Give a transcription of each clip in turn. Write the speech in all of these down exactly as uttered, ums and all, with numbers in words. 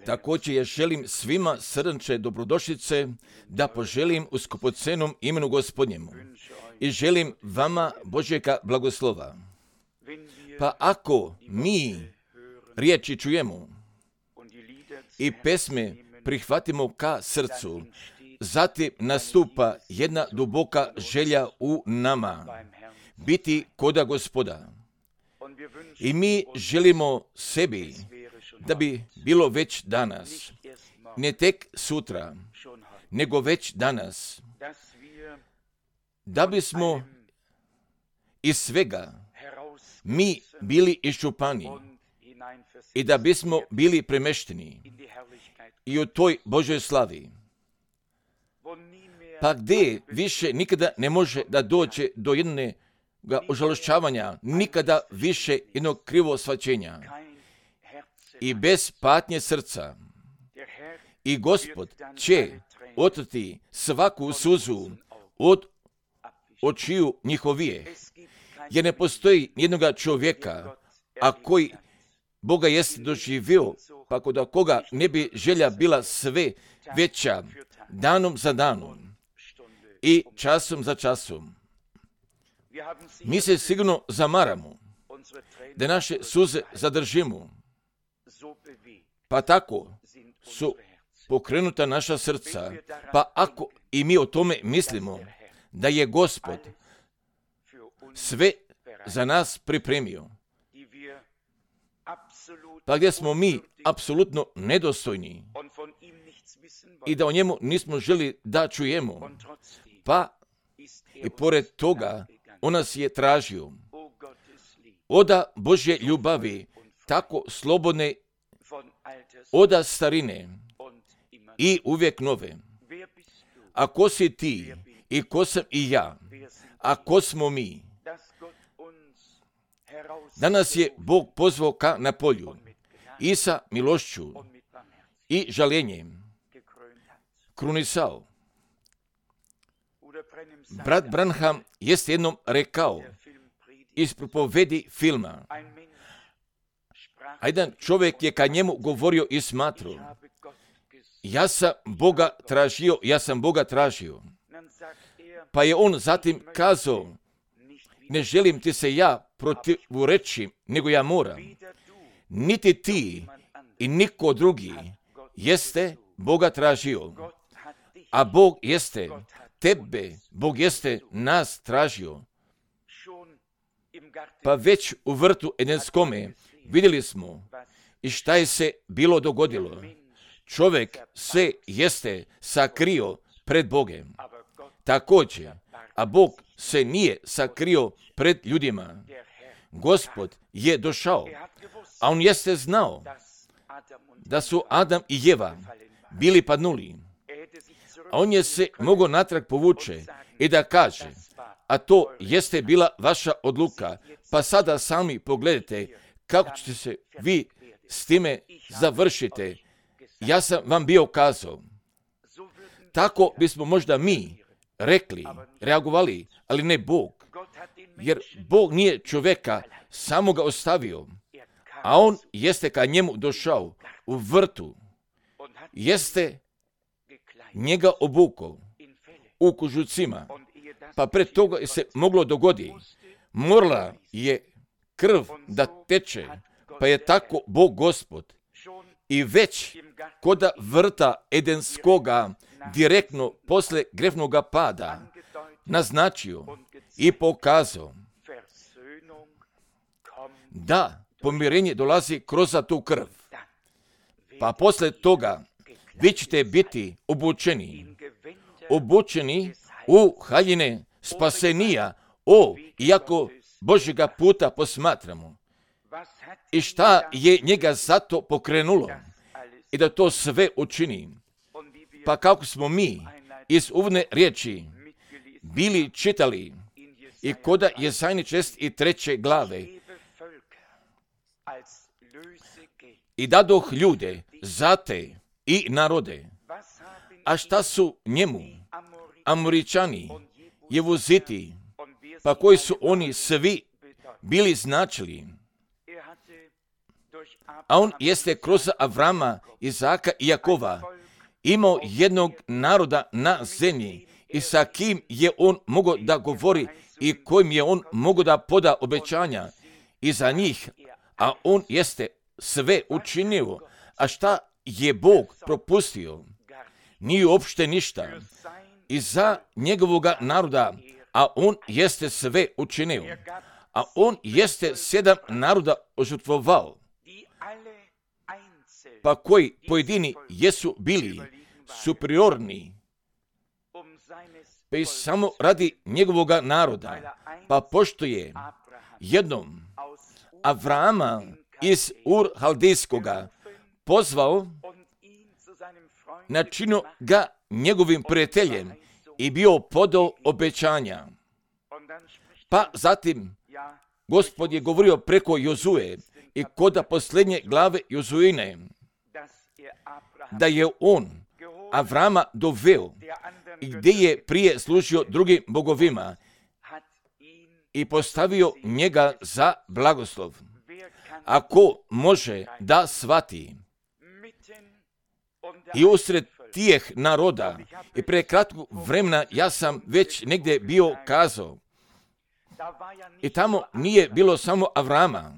Također ja želim svima srdačne dobrodošlice da poželim u skupocenom imenu Gospodnjemu i želim vama Božjega blagoslova. Pa ako mi riječi čujemo i pesme prihvatimo ka srcu, zatim nastupa jedna duboka želja u nama biti koda Gospoda. I mi želimo sebi da bi bilo već danas, ne tek sutra, nego već danas, da bismo iz svega mi bili iščupani i da bismo bili premešteni i u toj Božoj slavi. Pa gdje više nikada ne može da dođe do jednog ožalošćavanja, nikada više jednog krivo shvaćenja i bez patnje srca. I Gospod će otrti svaku suzu od očiju njihovije, jer ne postoji jednoga čovjeka, a koji Boga jeste doživio, pa kod koga ne bi želja bila sve veća danom za danom i časom za časom. Mi se sigurno zamaramo da naše suze zadržimo, pa tako su pokrenuta naša srca, pa ako i mi o tome mislimo da je Gospod sve za nas pripremio, pa gdje smo mi apsolutno nedostojni i da o njemu nismo želi da čujemo, pa i pored toga on nas je tražio. Oda Božje ljubavi, tako slobodne, oda starine i uvijek nove. A ko si ti i ko sam i ja, a ko smo mi? Danas je Bog pozvao ka na polju i sa milošću i žaljenjem krunisao. Brat Branham jest jednom rekao iz propovedi filma, a jedan čovjek je ka njemu govorio i smatrao, ja sam Boga tražio, ja sam Boga tražio. Pa je on zatim kazao, ne želim ti se ja protivureći, nego ja moram. Niti ti i niko drugi jeste Boga tražio, a Bog jeste tebe, Bog jeste nas tražio. Pa već u vrtu Edenskome vidjeli smo i šta je se bilo dogodilo. Čovjek se jeste sakrio pred Bogem. Također, a Bog se nije sakrio pred ljudima. Gospod je došao, a on jeste znao da su Adam i Jeva bili padnuli. A on je se mogao natrag povuče i da kaže, a to jeste bila vaša odluka, pa sada sami pogledajte kako ćete se vi s time završite. Ja sam vam bio kazao. Tako bismo možda mi rekli, reagovali, ali ne Bog. Jer Bog nije čovjeka samo ga ostavio, a on jeste ka njemu došao u vrtu. Jeste njega obukao u kožucima, pa pred toga je se moglo dogodi. Morala je krv da teče, pa je tako Bog Gospod i već koda vrta Edenskoga direktno posle grehnoga pada naznačio i pokazao da pomirenje dolazi kroz tu krv. Pa posle toga vi ćete biti obučeni, obučeni u haljine spasenija, o, iako Božjega puta posmatramo. I šta je njega zato pokrenulo i da to sve učini. Pa kako smo mi iz uvodne riječi bili čitali i koda Jesajni šest i treće glave i dadoh ljude zate i narode. A šta su njemu Amoričani, Jevuziti, pa koji su oni svi bili značili? a on jeste kroz Avrama, Izaka i Jakova imao jednog naroda na zemlji i sa kim je on mogao da govori i kojim je on mogao da poda obećanja i za njih, a on jeste sve učinio. A šta je Bog propustio? Nije uopšte ništa. I za njegovoga naroda, a on jeste sve učinio. A on jeste sedam naroda ožrtvovao, pa koji pojedini jesu bili superiorni, pa i samo radi njegovoga naroda, pa pošto je jednom Avrama iz Ur Haldejskoga pozvao, načinio ga njegovim prijateljem i bio podao obećanja. Pa zatim Gospod je govorio preko Jozue i kod posljednje glave Jozuine, da je on Avrama doveo i gdje je prije služio drugim bogovima i postavio njega za blagoslov. Ako može da shvati i usred tijeh naroda, i pre kratkog vremena ja sam već negdje bio kazao, i tamo nije bilo samo Avrama,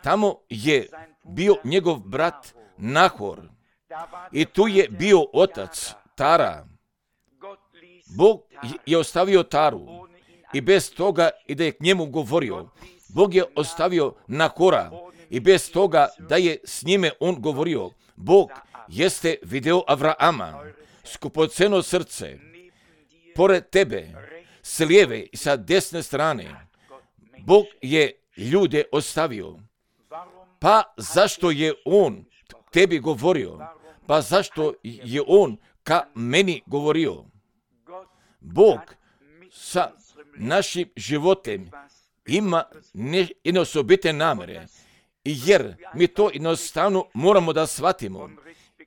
tamo je bio njegov brat Nahor i tu je bio otac Tara. Bog je ostavio Taru i bez toga i da je k njemu govorio. Bog je ostavio Nahora i bez toga da je s njime on govorio. Bog jeste video Avrama, skupoceno srce, pored tebe, s lijeve i sa desne strane. Bog je ljude ostavio. Pa zašto je on tebi govorio? Pa zašto je on ka meni govorio? Bog sa našim životem ima jedne osobite namere, jer mi to jednostavno moramo da shvatimo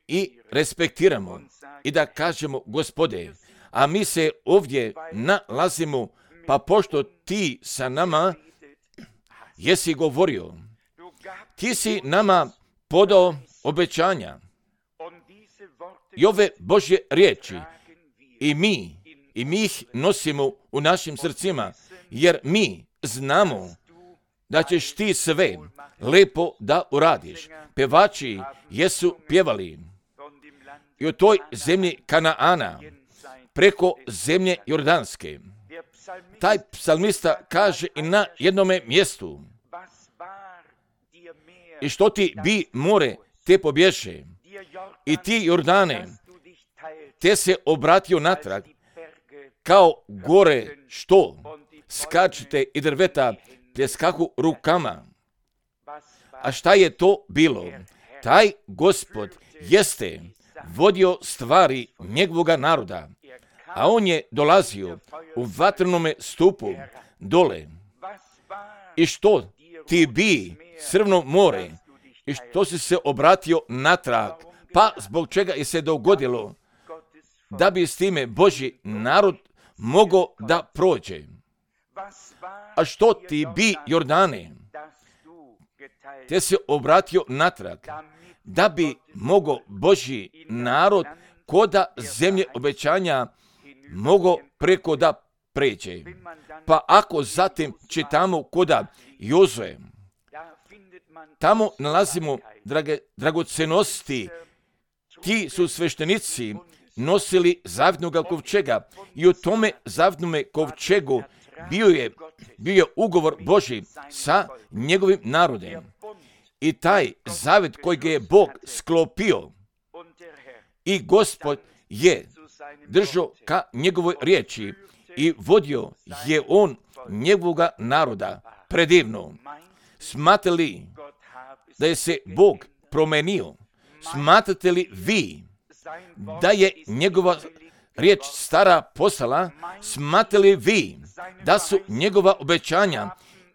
i respektiramo i da kažemo, Gospode, a mi se ovdje nalazimo, pa pošto ti sa nama jesi govorio, ti si nama podao obećanja i ove Božje riječi i mi, i mi ih nosimo u našim srcima, jer mi znamo da ćeš ti sve lepo da uradiš. Pevači jesu pjevali i u toj zemlji Kanaana, preko zemlje Jordanske. Taj psalmista kaže i na jednome mjestu, i što ti bi more te pobješe, i ti Jordane, te se obratio natrag, kao gore što skačete i drveta pljeskahu rukama. A šta je to bilo? Taj Gospod jeste vodio stvari njegovoga naroda, a on je dolazio u vatrenome stupu dole. I što ti bi Crveno more, i što si se obratio natrag, pa zbog čega je se dogodilo da bi s time Božji narod mogao da prođe. A što ti bi Jordane, te se obratio natrag, da bi mogao Božji narod koda zemlje obećanja mogao preko da pređe. Pa ako zatim čitamo koda Jozue, tamo nalazimo drage, dragocenosti. Ti su sveštenici nosili zavjetnoga kovčega i u tome zavjetnome kovčegu bio je, bio je ugovor Božji sa njegovim narodem. I taj zavjet kojeg je Bog sklopio i Gospod je držao ka njegovoj riječi i vodio je on njegovoga naroda predivno. Smatrate li da je se Bog promenio? Smatrate li vi da je njegova riječ stara postala? Smatrate li vi da su njegova obećanja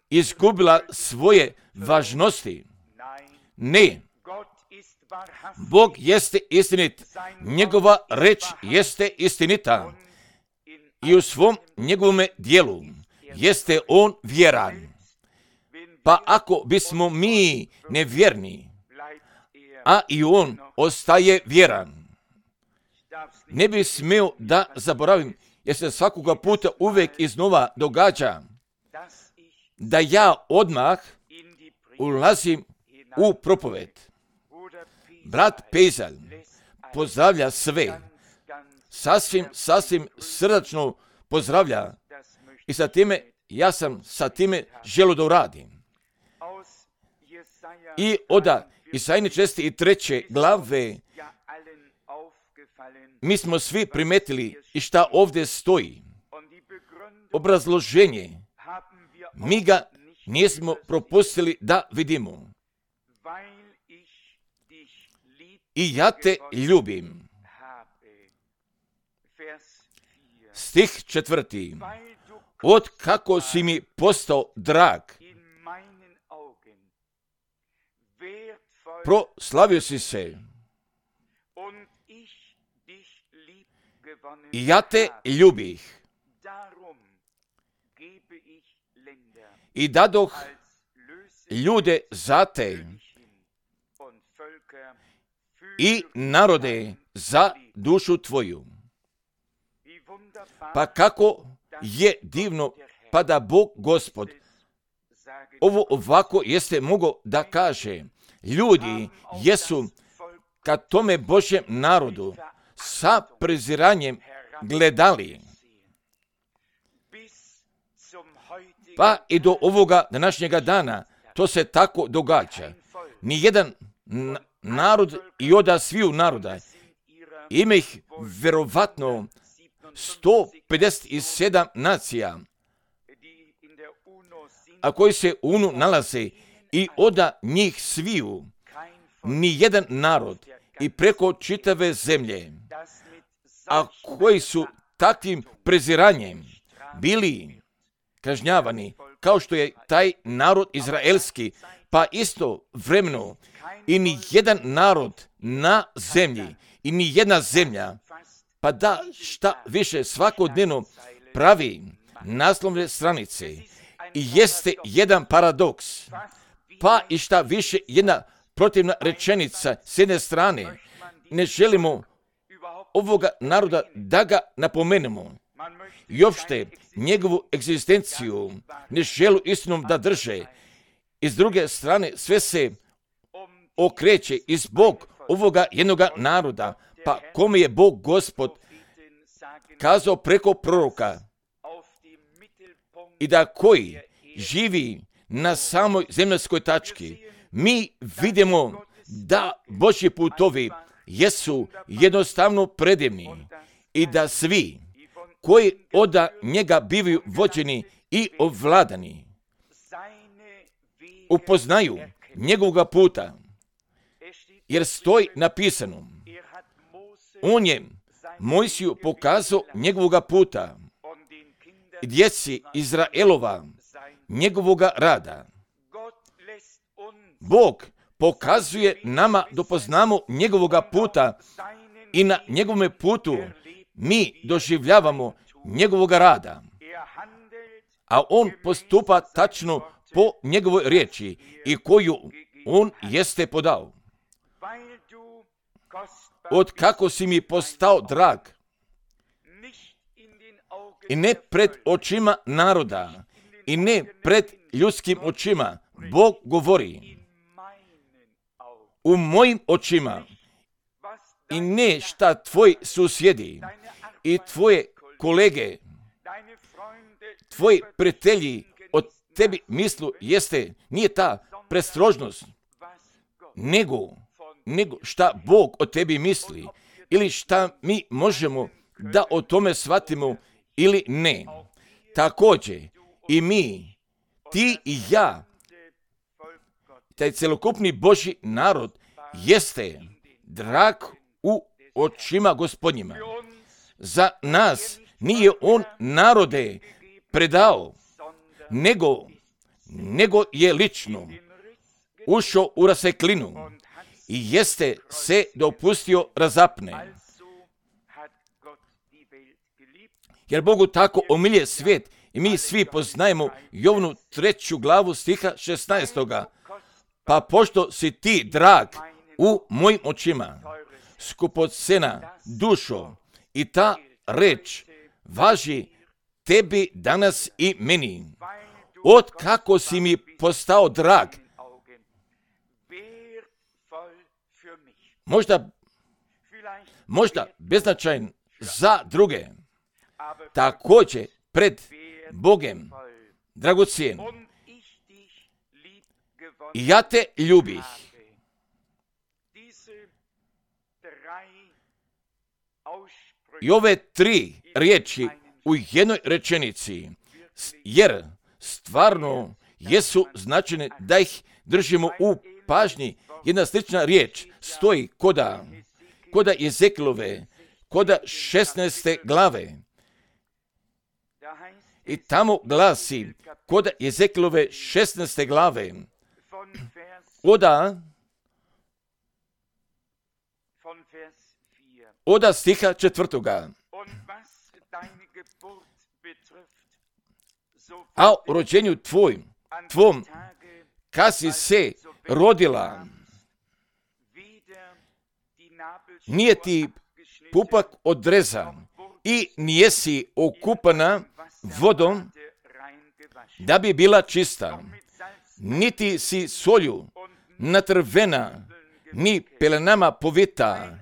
izgubila svoje važnosti? Ne. Bog jeste istinit, njegova reč jeste istinita i u svom njegovome dijelu jeste on vjeran. Pa ako bismo mi nevjerni, a i on ostaje vjeran. Ne bi smio da zaboravim, jer se svakoga puta uvijek iznova događa da ja odmah ulazim u propoved. Brat Pezalj pozdravlja sve, sasvim, sasvim srdačno pozdravlja i sa time, ja sam sa time želio da uradim. I oda Isajine četrdeset treće glave mi smo svi primetili i šta ovdje stoji. Obrazloženje, mi ga nismo propustili da vidimo. I ja te ljubim. Stih četvrti. Od kako si mi postao drag, proslavio si se. I ja te ljubih. I dadoh ljude za te i narode za dušu tvoju. Pa kako je divno, pa da Bog Gospod ovo ovako jeste mogao da kaže. Ljudi jesu ka tome Božjem narodu sa preziranjem gledali. Pa i do ovoga današnjega dana to se tako događa. Nijedan narod i oda sviju naroda ima ih vjerovatno sto pedeset sedam nacija, a koji se u UNU nalaze i oda njih sviju, nijedan narod i preko čitave zemlje, a koji su takvim preziranjem bili kažnjavani, kao što je taj narod izraelski, pa isto vremeno i ni jedan narod na zemlji i ni jedna zemlja, pa da šta više svakodnevno pravi naslovne stranice i jeste jedan paradoks, pa i šta više jedna protivna rečenica s jedne strane. Ne želimo ovoga naroda da ga napomenemo i uopšte njegovu egzistenciju ne želu istinom da drže. I s druge strane sve se okreće i zbog ovoga jednoga naroda, pa kome je Bog Gospod kazao preko proroka i da koji živi na samoj zemaljskoj tački, mi vidimo da Božji putovi jesu jednostavno predivni i da svi koji od njega bivaju vođeni i ovladani upoznaju njegovoga puta, jer stoji napisano, on je Mojsiju pokazao njegovoga puta i djeci Izraelova njegovoga rada. Bog pokazuje nama da poznamo njegovoga puta i na njegovome putu mi doživljavamo njegovoga rada, a on postupa tačno po njegovoj riječi i koju on jeste podao. Od kako si mi postao drag i ne pred očima naroda i ne pred ljudskim očima, Bog govori u mojim očima i ne šta tvoji susjedi i tvoje kolege, tvoji prijatelji od tebi mislu jeste, nije ta prestrožnost, nego, nego šta Bog o tebi misli ili šta mi možemo da o tome shvatimo ili ne. Također i mi, ti i ja, taj celokupni Božji narod jeste drag u očima Gospodnjima. Za nas nije on narode predao, nego, nego je lično ušao u raseklinu i jeste se dopustio razapne. Jer Bogu tako omilje svijet i mi svi poznajemo Jovnu treću glavu stiha šesnaestoga. Pa pošto si ti drag u mojim očima skupocena dušo i ta reč važi tebi danas i meni. Od kako si mi postao drag, možda, možda beznačajan za druge, također pred Bogem dragocijen. I ja te ljubih. I ove tri riječi u jednoj rečenici, jer stvarno jesu značajne da ih držimo u pažnji. Jedna slična riječ stoji koda, koda Ezekilove, koda šesnaeste glave. I tamo glasi, koda Ezekilove šesnaeste glave, oda, oda stiha četvrtoga. A o rođenju tvojim, tvom, kad si se rodila, nije ti pupak odrezan i nijesi okupana vodom da bi bila čista, niti si solju natrvena, ni pelenama povita.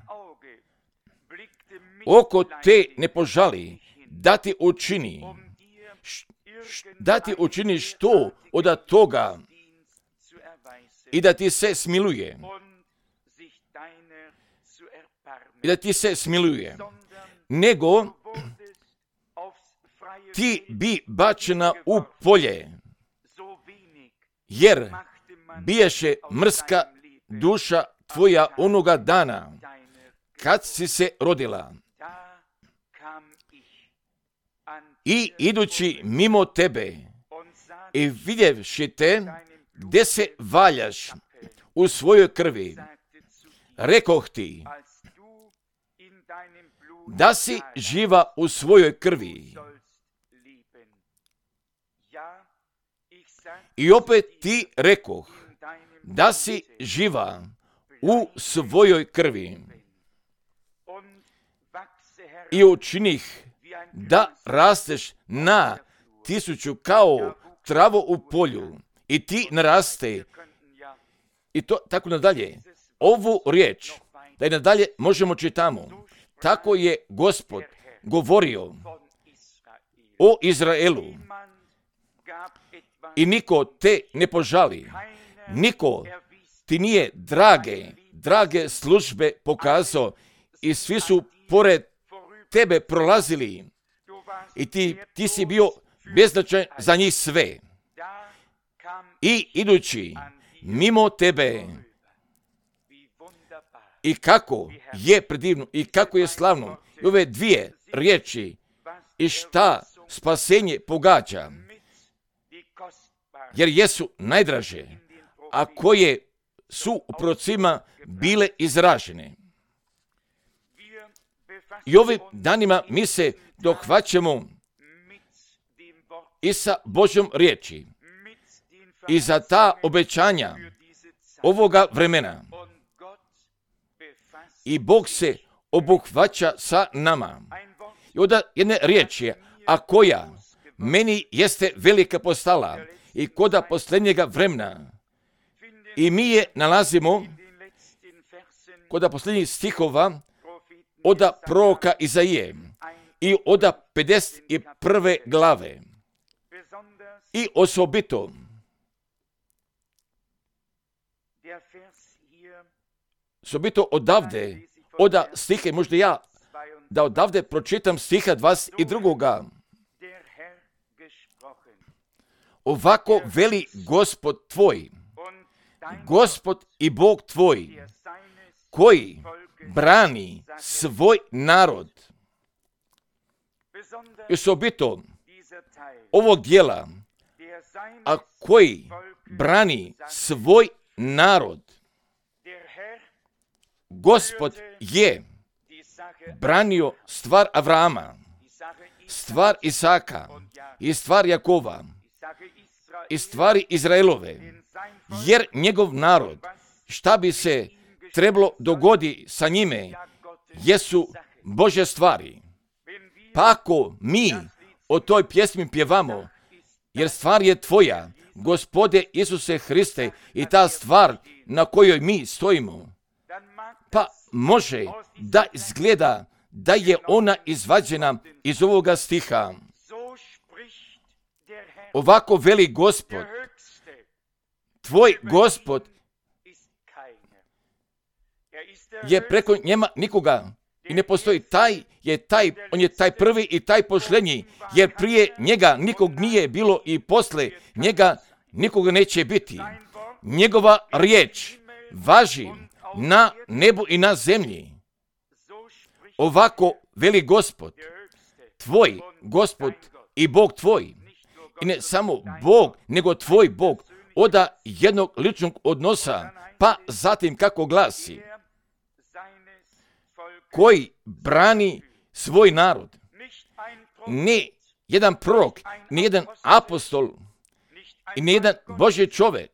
Oko te ne požali da ti učini, da ti učini što od toga i da ti se smiluje. I da ti se smiluje. Nego ti bi bačena u polje, jer biješe mrska duša tvoja onoga dana kad si se rodila. I idući mimo tebe i vidjevši te gdje se valjaš u svojoj krvi, rekoh ti da si živa u svojoj krvi. I opet ti rekoh da si živa u svojoj krvi. I učinih da rasteš na tisuću kao travo u polju i ti naraste. I to tako nadalje. Ovu riječ, da je nadalje možemo čitamo. Tako je Gospod govorio o Izraelu. I niko te ne požali. Niko ti nije drage, drage službe pokazao i svi su pored tebe prolazili. I ti, ti si bio beznačajan za njih sve. I idući mimo tebe, i kako je predivno, i kako je slavno, i ove dvije riječi, i šta spasenje pogađa, jer jesu najdraže, a koje su u procima bile izražene. I ovim danima mi se dohvaćamo i sa Božjom riječi i za ta obećanja ovoga vremena. I Bog se obuhvaća sa nama. I onda jedne riječi, a koja meni jeste velika postala i koda posljednjega vremena. I mi je nalazimo koda posljednjih stihova oda proroka Izaije i oda pedeset prve glave. I osobito osobito odavde, oda stihe, možda ja da odavde pročitam stiha dvadeset drugoga. Ovako veli Gospod tvoj, Gospod i Bog tvoj, koji brani svoj narod. I osobito ovog dijela, a koji brani svoj narod. Gospod je branio stvar Avrama, stvar Isaka i stvar Jakova i stvari Izraelove, jer njegov narod, šta bi se trebalo dogodi sa njime, jesu Božje stvari. Pa ako mi o toj pjesmi pjevamo, jer stvar je tvoja, Gospode Isuse Hriste, i ta stvar na kojoj mi stojimo, pa može da izgleda da je ona izvađena iz ovoga stiha. Ovako veli Gospod, tvoj Gospod je preko njema nikoga i ne postoji. Taj je taj, on je taj prvi i taj posljednji, jer prije njega nikog nije bilo i posle njega nikoga neće biti. Njegova riječ važi na nebu i na zemlji. Ovako veli Gospod, tvoj Gospod i Bog tvoj. I ne samo Bog, nego tvoj Bog, oda jednog ličnog odnosa, pa zatim kako glasi, koji brani svoj narod. Ne jedan prorok, ni jedan apostol, i ni jedan Božji čovjek,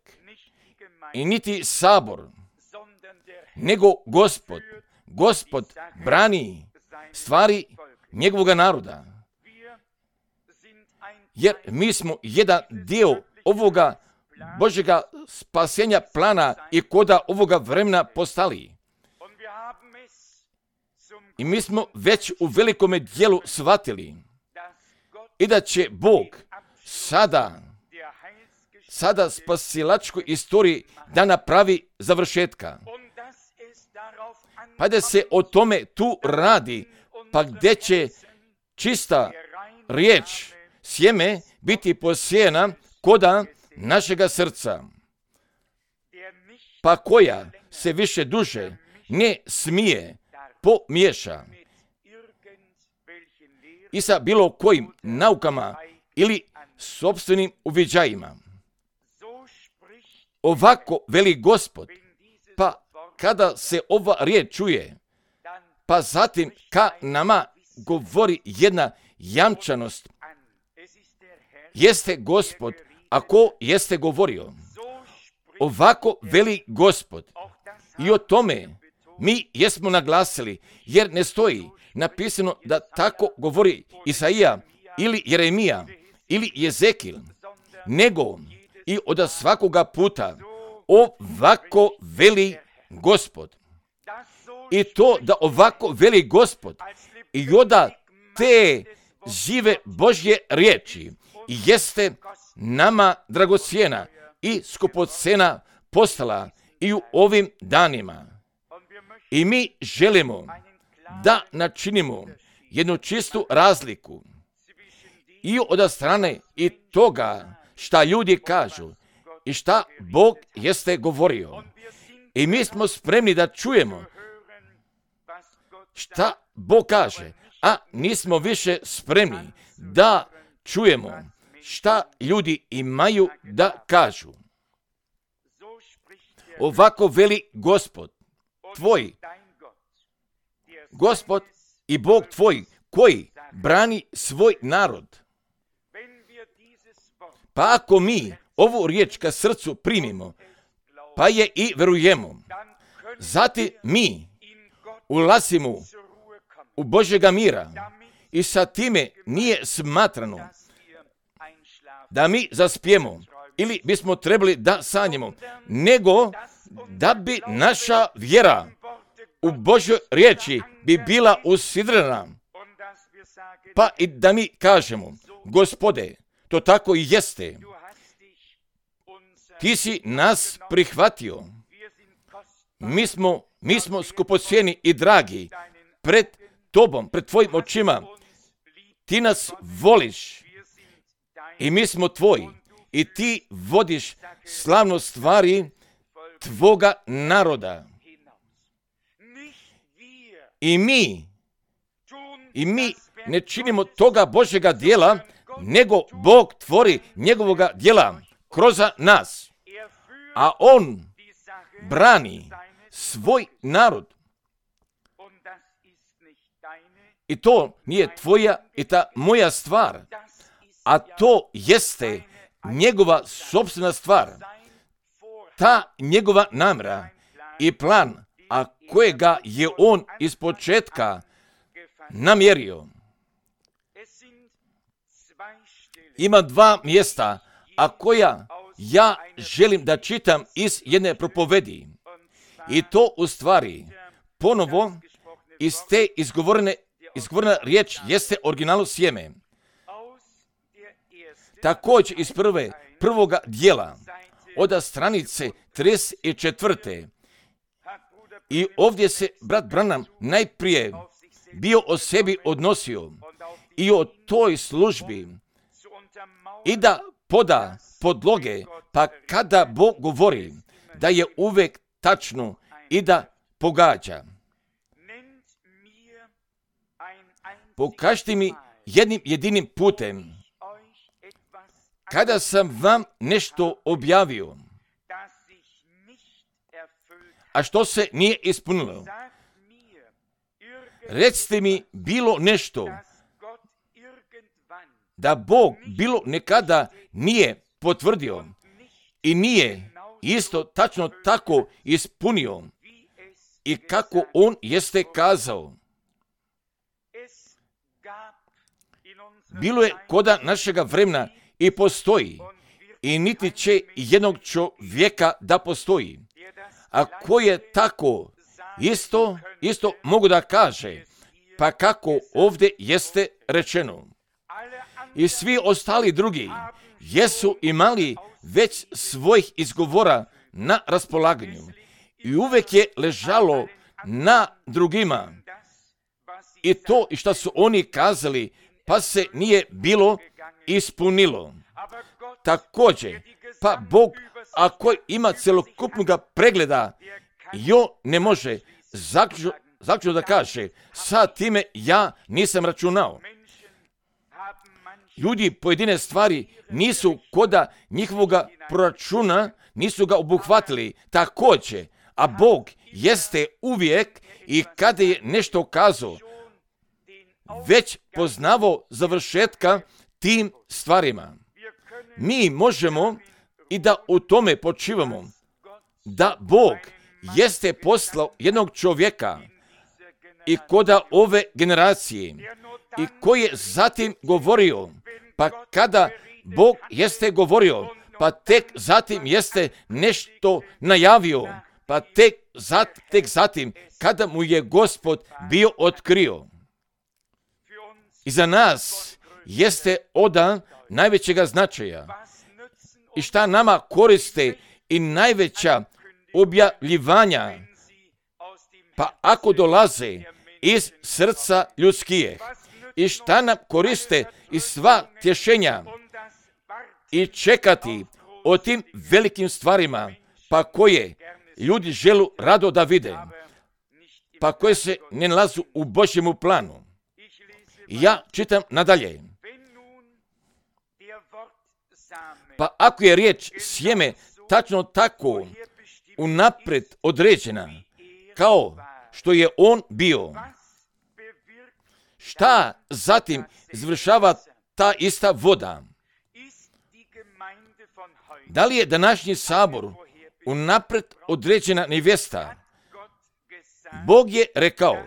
i niti sabor, nego Gospod. Gospod brani stvari njegovog naroda. Jer mi smo jedan dio ovoga Božjega spasenja plana i koda ovoga vremena postali. I mi smo već u velikome dijelu shvatili i da će Bog sada, sada spasilačkoj istoriji da napravi završetka. Pa da se o tome tu radi, pa gdje će čista riječ, sjeme biti posijena koda našega srca, pa koja se više duže ne smije pomiješa i sa bilo kojim naukama ili sopstvenim uviđajima. Ovako veli Gospod, pa kada se ova riječ čuje, pa zatim ka nama govori jedna jamčanost. Jeste Gospod, ako jeste govorio. Ovako veli Gospod. I o tome mi jesmo naglasili, jer ne stoji napisano da tako govori Isaija ili Jeremija ili Jezekil, nego i od svakoga puta ovako veli Gospod. I to da ovako veli Gospod i oda te žive Božje riječi jeste nama dragocjena i skupocjena postala i u ovim danima. I mi želimo da načinimo jednu čistu razliku i od strane i toga šta ljudi kažu i šta Bog jeste govorio. I mi smo spremni da čujemo šta Bog kaže, a nismo više spremni da čujemo šta ljudi imaju da kažu. Ovako veli Gospod, tvoj, Gospod i Bog tvoj, koji brani svoj narod. Pa ako mi ovu riječ ka srcu primimo, pa je i verujemo, zatim mi ulazimo u Božjega mira i sa time nije smatrano da mi zaspijemo ili bismo trebali da sanjemo, nego da bi naša vjera u Božjoj riječi bi bila usidrena, pa i da mi kažemo, Gospode, to tako i jeste. Ti si nas prihvatio. Mi smo, mi smo skupocjeni i dragi pred tobom, pred tvojim očima. Ti nas voliš i mi smo tvoji i ti vodiš slavno stvari tvoga naroda. I mi, i mi ne činimo toga Božjega djela, nego Bog tvori njegovoga djela kroz nas. A on brani svoj narod. I to nije tvoja i ta moja stvar, a to jeste njegova sopstvena stvar. Ta njegova namjera i plan a kojega je on iz početka namjerio. Ima dva mjesta, a koja ja želim da čitam iz jedne propovedi. I to u stvari ponovo iz te izgovorene, izgovorena riječ jeste originalu sjeme. Također iz prve, prvoga dijela, od stranice trideset četvrte. I ovdje se brat Branham najprije bio o sebi odnosio i o toj službi i da poda podloge, pa kada Bog govori da je uvek tačno i da pogađa. Pokažite mi jednim jedinim putem kada sam vam nešto objavio, a što se nije ispunilo. Recite mi bilo nešto da Bog bilo nekada nije potvrdio i nije isto tačno tako ispunio i kako on jeste kazao. Bilo je koda našega vremena i postoji i niti će jednog čovjeka da postoji. A ko je tako isto, isto mogu da kaže, pa kako ovdje jeste rečeno. I svi ostali drugi jesu imali već svojih izgovora na raspolaganju i uvek je ležalo na drugima. I to i što su oni kazali, pa se nije bilo ispunilo. Također, pa Bog, ako ima celokupnog pregleda, jo ne može zaključno, zaključno da kaže, sa time ja nisam računao. Ljudi pojedine stvari nisu koda njihovoga proračuna, nisu ga obuhvatili također, a Bog jeste uvijek i kada je nešto kazao, već poznavao završetka tim stvarima. Mi možemo i da u tome počivamo, da Bog jeste poslao jednog čovjeka i koda ove generacije i koji je zatim govorio, pa kada Bog jeste govorio, pa tek zatim jeste nešto najavio, pa tek, zat, tek zatim kada mu je Gospod bio otkrio. I za nas jeste odan najvećega značaja. I šta nama koriste i najveća objavljivanja, pa ako dolaze iz srca ljudskih, i šta nam koriste i sva tješenja i čekati o tim velikim stvarima, pa koje ljudi želu rado da vide, pa koje se ne nalazu u Božjemu planu. Ja čitam nadalje. Pa ako je riječ sjeme tačno tako unapred određena, kao što je on bio, šta zatim izvršava ta ista voda? Da li je današnji sabor unapred određena nevjesta? Bog je rekao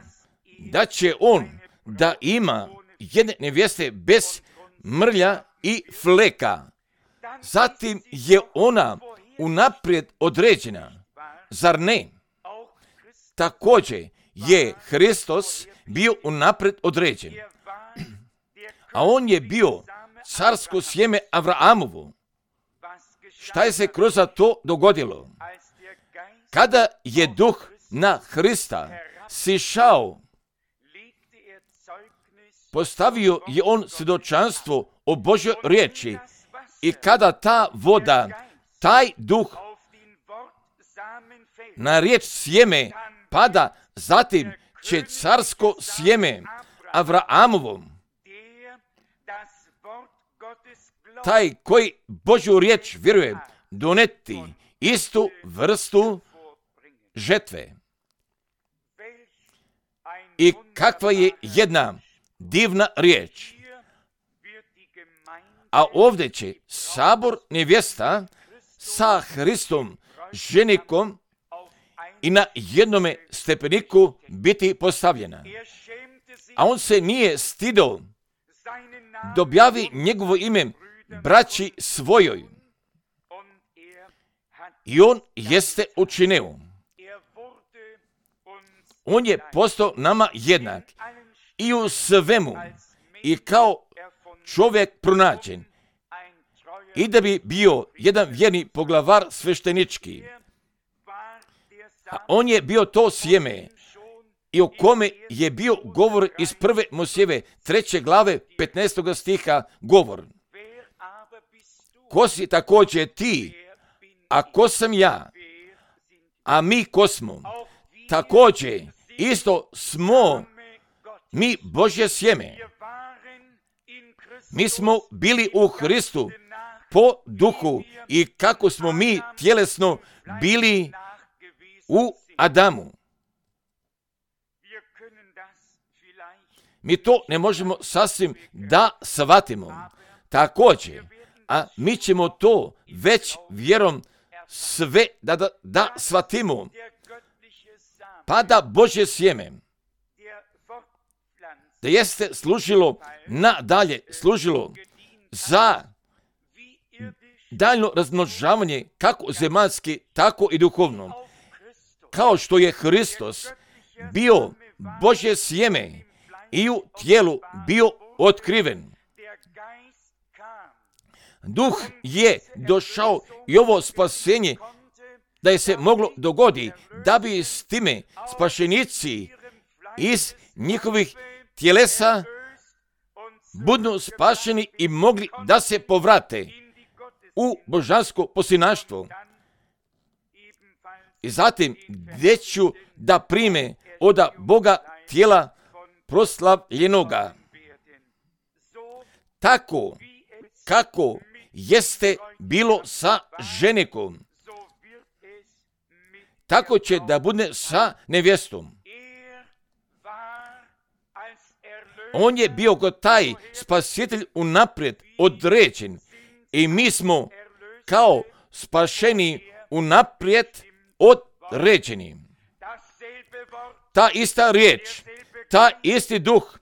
da će on da ima jedne nevjeste bez mrlja i fleka. Zatim je ona unaprijed određena. Zar ne? Također je Hristos bio unaprijed određen. A on je bio carsko sjeme Avraamovo. Šta je se kroz to dogodilo? Kada je duh na Hrista sišao, postavio je on svjedočanstvo o Božjoj riječi i kada ta voda, taj duh na riječ sjeme pada, zatim će carsko sjeme Avraamovom, taj koji Božju riječ vjeruje, doneti istu vrstu žetve. I kakva je jedna divna riječ. A ovdje će sabor nevjesta sa Hristom ženikom i na jednome stepeniku biti postavljena. A on se nije stido da objavi njegovo ime braći svojoj. I on jeste učinio. On je postao nama jednak i u svemu i kao čovjek pronađen. I da bi bio jedan vjerni poglavar sveštenički. A on je bio to sjeme i o kome je bio govor iz prve Mojsijeve treće glave petnaestog stiha govor. Ko si također ti, a ko sam ja, a mi ko smo, također isto smo mi Božje sjeme. Mi smo bili u Hristu po duhu i kako smo mi tjelesno bili u Adamu. Mi to ne možemo sasvim da shvatimo. Također, a mi ćemo to već vjerom sve da, da, da shvatimo. Pa da Božje sjeme, da jeste služilo nadalje, služilo za daljno razmnožavanje kako zemaljski, tako i duhovno. Kao što je Hristos bio Božje sjeme i u tijelu bio otkriven. Duh je došao i ovo spasenje da je se moglo dogodi da bi s time spašenici iz njihovih tjelesa budu spašeni i mogli da se povrate u božansko posljednaštvo. I zatim gdje ću da prime od Boga tijela proslavljenoga. Tako kako jeste bilo sa ženikom, tako će da bude sa nevjestom. On je bio kao taj spasitelj unaprijed određen i mi smo kao spašeni unaprijed određeni. Ta ista riječ, ta isti duh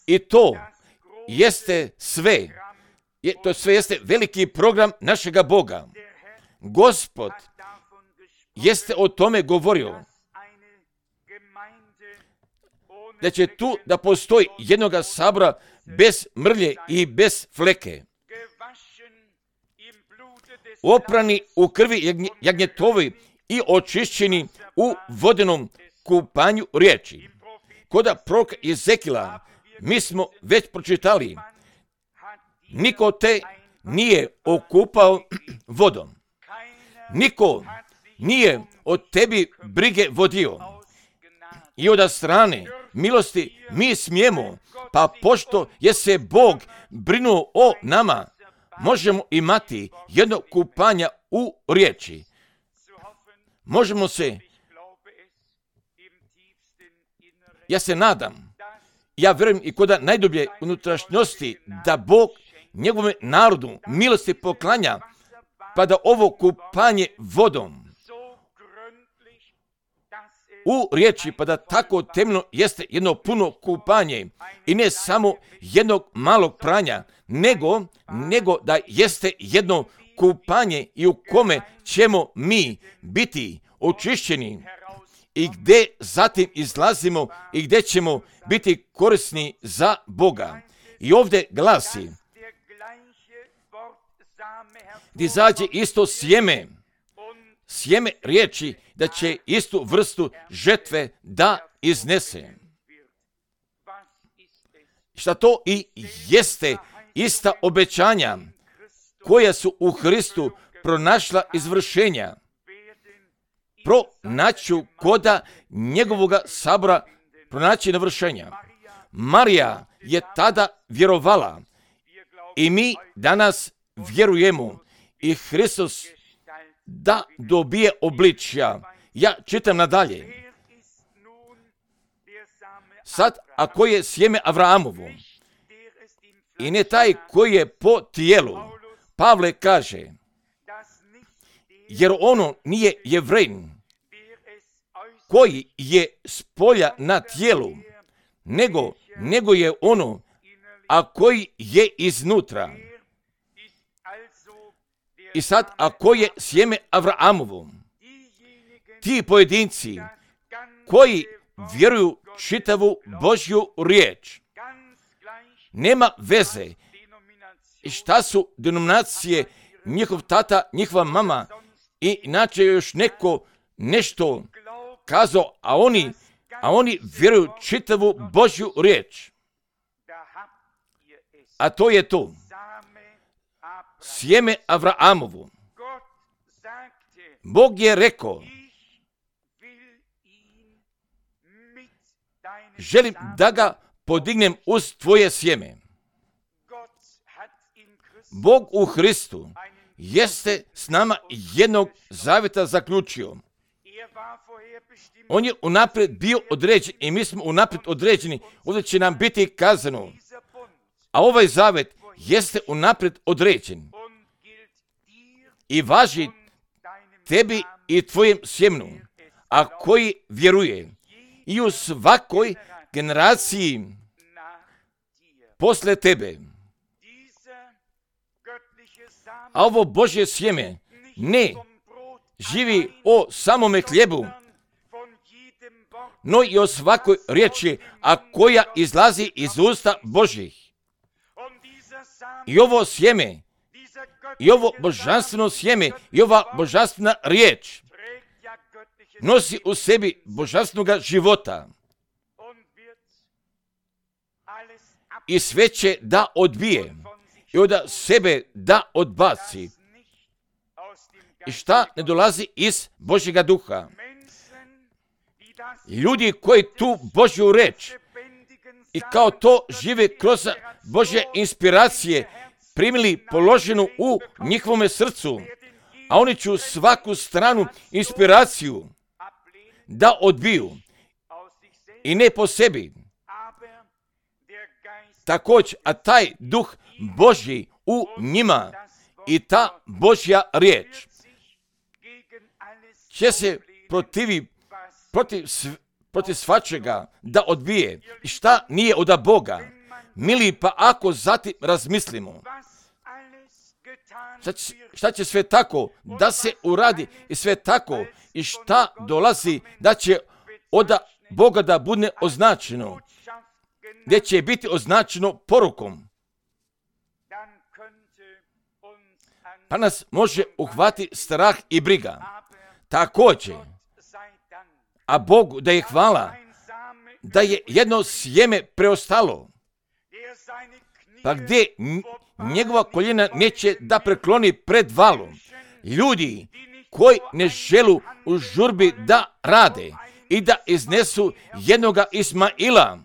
i to jeste sve. Je, to sve jeste veliki program našega Boga. Gospod jeste o tome govorio. Da će tu da postoji jednoga sabora bez mrlje i bez fleke. Oprani u krvi jagnjetovi i očišćeni u vodenom kupanju riječi. Koda proroka Ezekila mi smo već pročitali. Niko te nije okupao vodom. Niko nije od tebi brige vodio. I od strane milosti mi smijemo, pa pošto je se Bog brinuo o nama, možemo imati jedno kupanje u riječi. Možemo se, ja se nadam, ja vjerujem i kod najdublje unutrašnjosti da Bog njegovom narodu milosti poklanja, pa da ovo kupanje vodom u riječi, pa da tako temeljno jeste jedno puno kupanje i ne samo jednog malog pranja, nego, nego da jeste jedno kupanje i u kome ćemo mi biti očišćeni i gdje zatim izlazimo i gdje ćemo biti korisni za Boga. I ovdje glasi, gdje izađe isto sjeme, sjeme riječi da će istu vrstu žetve da iznese. Šta to i jeste ista obećanja koja su u Hristu pronašla izvršenja. Pronaću koda njegovoga sabora pronaći navršenja. Marija je tada vjerovala i mi danas vjerujemo i Hristos da dobije obličja. Ja čitam nadalje. Sad, ako je sjeme Avrahamovo i ne taj koji je po tijelu, Pavle kaže, jer ono nije Jevrejn, koji je s polja na tijelu, nego, nego je ono, a koji je iznutra. I sad, ako je sjeme Avraamovo, ti pojedinci koji vjeruju čitavu Božju riječ, nema veze i šta su denominacije, njihov tata, njihova mama i inače još neko nešto kazao, a oni, a oni vjeruju čitavu Božju riječ. A to je to. Sjeme Avraamovu. Bog je rekao, želim da ga podignem uz tvoje sjeme. Bog u Hristu jeste s nama jednog zavjeta zaključio. On je unaprijed bio određen i mi smo unaprijed određeni. Ovdje će nam biti kazano. A ovaj zavjet jeste unaprijed određen i važi tebi i tvojem sjemenu, a koji vjeruje i u svakoj generaciji posle tebe. A ovo Božje sjeme ne živi o samome hljebu, no i o svakoj riječi, a koja izlazi iz usta Božjih. I ovo sjeme, i ovo božanstveno sjeme, i ova božanstvena riječ nosi u sebi božanstvenog života. I sve će da odbije i od sebe da odbaci. I šta ne dolazi iz Božjega duha? Ljudi koji tu Božju reč i kao to žive kroz Božje inspiracije primili položenu u njihovome srcu, a oni će svaku stranu inspiraciju da odbiju i ne po sebi. Također, a taj duh Božji u njima i ta Božja riječ će se protivi protiv, protiv svačega da odbije. I šta nije od Boga? Mili, pa ako zatim razmislimo, šta će, šta će sve tako da se uradi i sve tako i šta dolazi da će od Boga da bude označeno, gdje će biti označeno porukom, pa nas može uhvati strah i briga. Također, a Bogu da je hvala, da je jedno sjeme preostalo, pa gdje njegova koljena neće da prekloni pred valom. Ljudi koji ne želu u žurbi da rade i da iznesu jednoga Ismaila,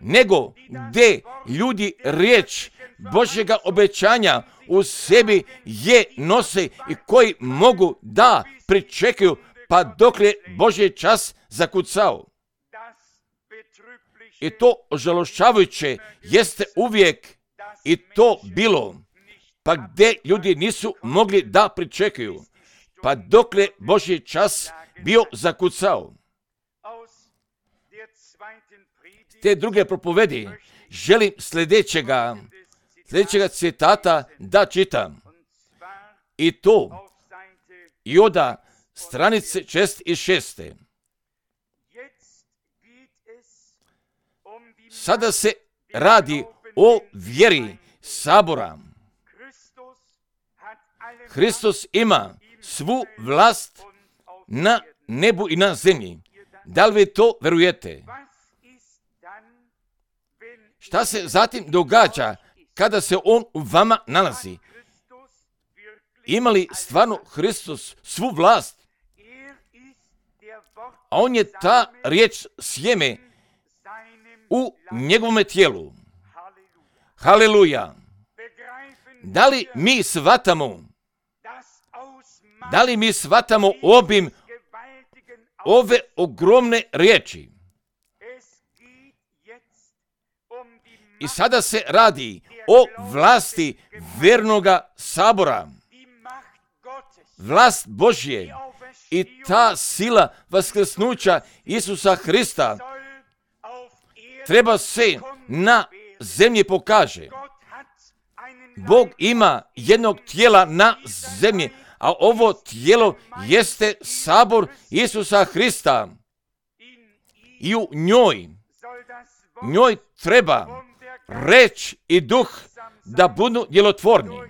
nego gdje ljudi riječ Božjega obećanja u sebi je nose i koji mogu da pričekaju pa dok je Božji čas zakucao. I to ožalošćavajuće jeste uvijek i to bilo, pa gdje ljudi nisu mogli da pričekaju, pa dok je Božji čas bio zakucao. Te druge propovedi želim sljedećega, sljedećega citata da čitam. I to i oda stranice šest i šeste. Sada se radi o vjeri sabora. Hristos ima svu vlast na nebu i na zemlji. Da li vi to verujete? Šta se zatim događa kada se on u vama nalazi? Ima li stvarno Hristos svu vlast? A on je ta riječ sjeme u njegovome tijelu. Haleluja! Da li mi shvatamo, da li mi shvatamo obim ove ogromne riječi? I sada se radi o vlasti vjernoga sabora. Vlast Božje I ta sila vaskrsnuća Isusa Hrista treba se na zemlji pokaže. Bog ima jednog tijela na zemlji, a ovo tijelo jeste sabor Isusa Hrista. I u njoj, njoj treba reč i duh da budu djelotvorni.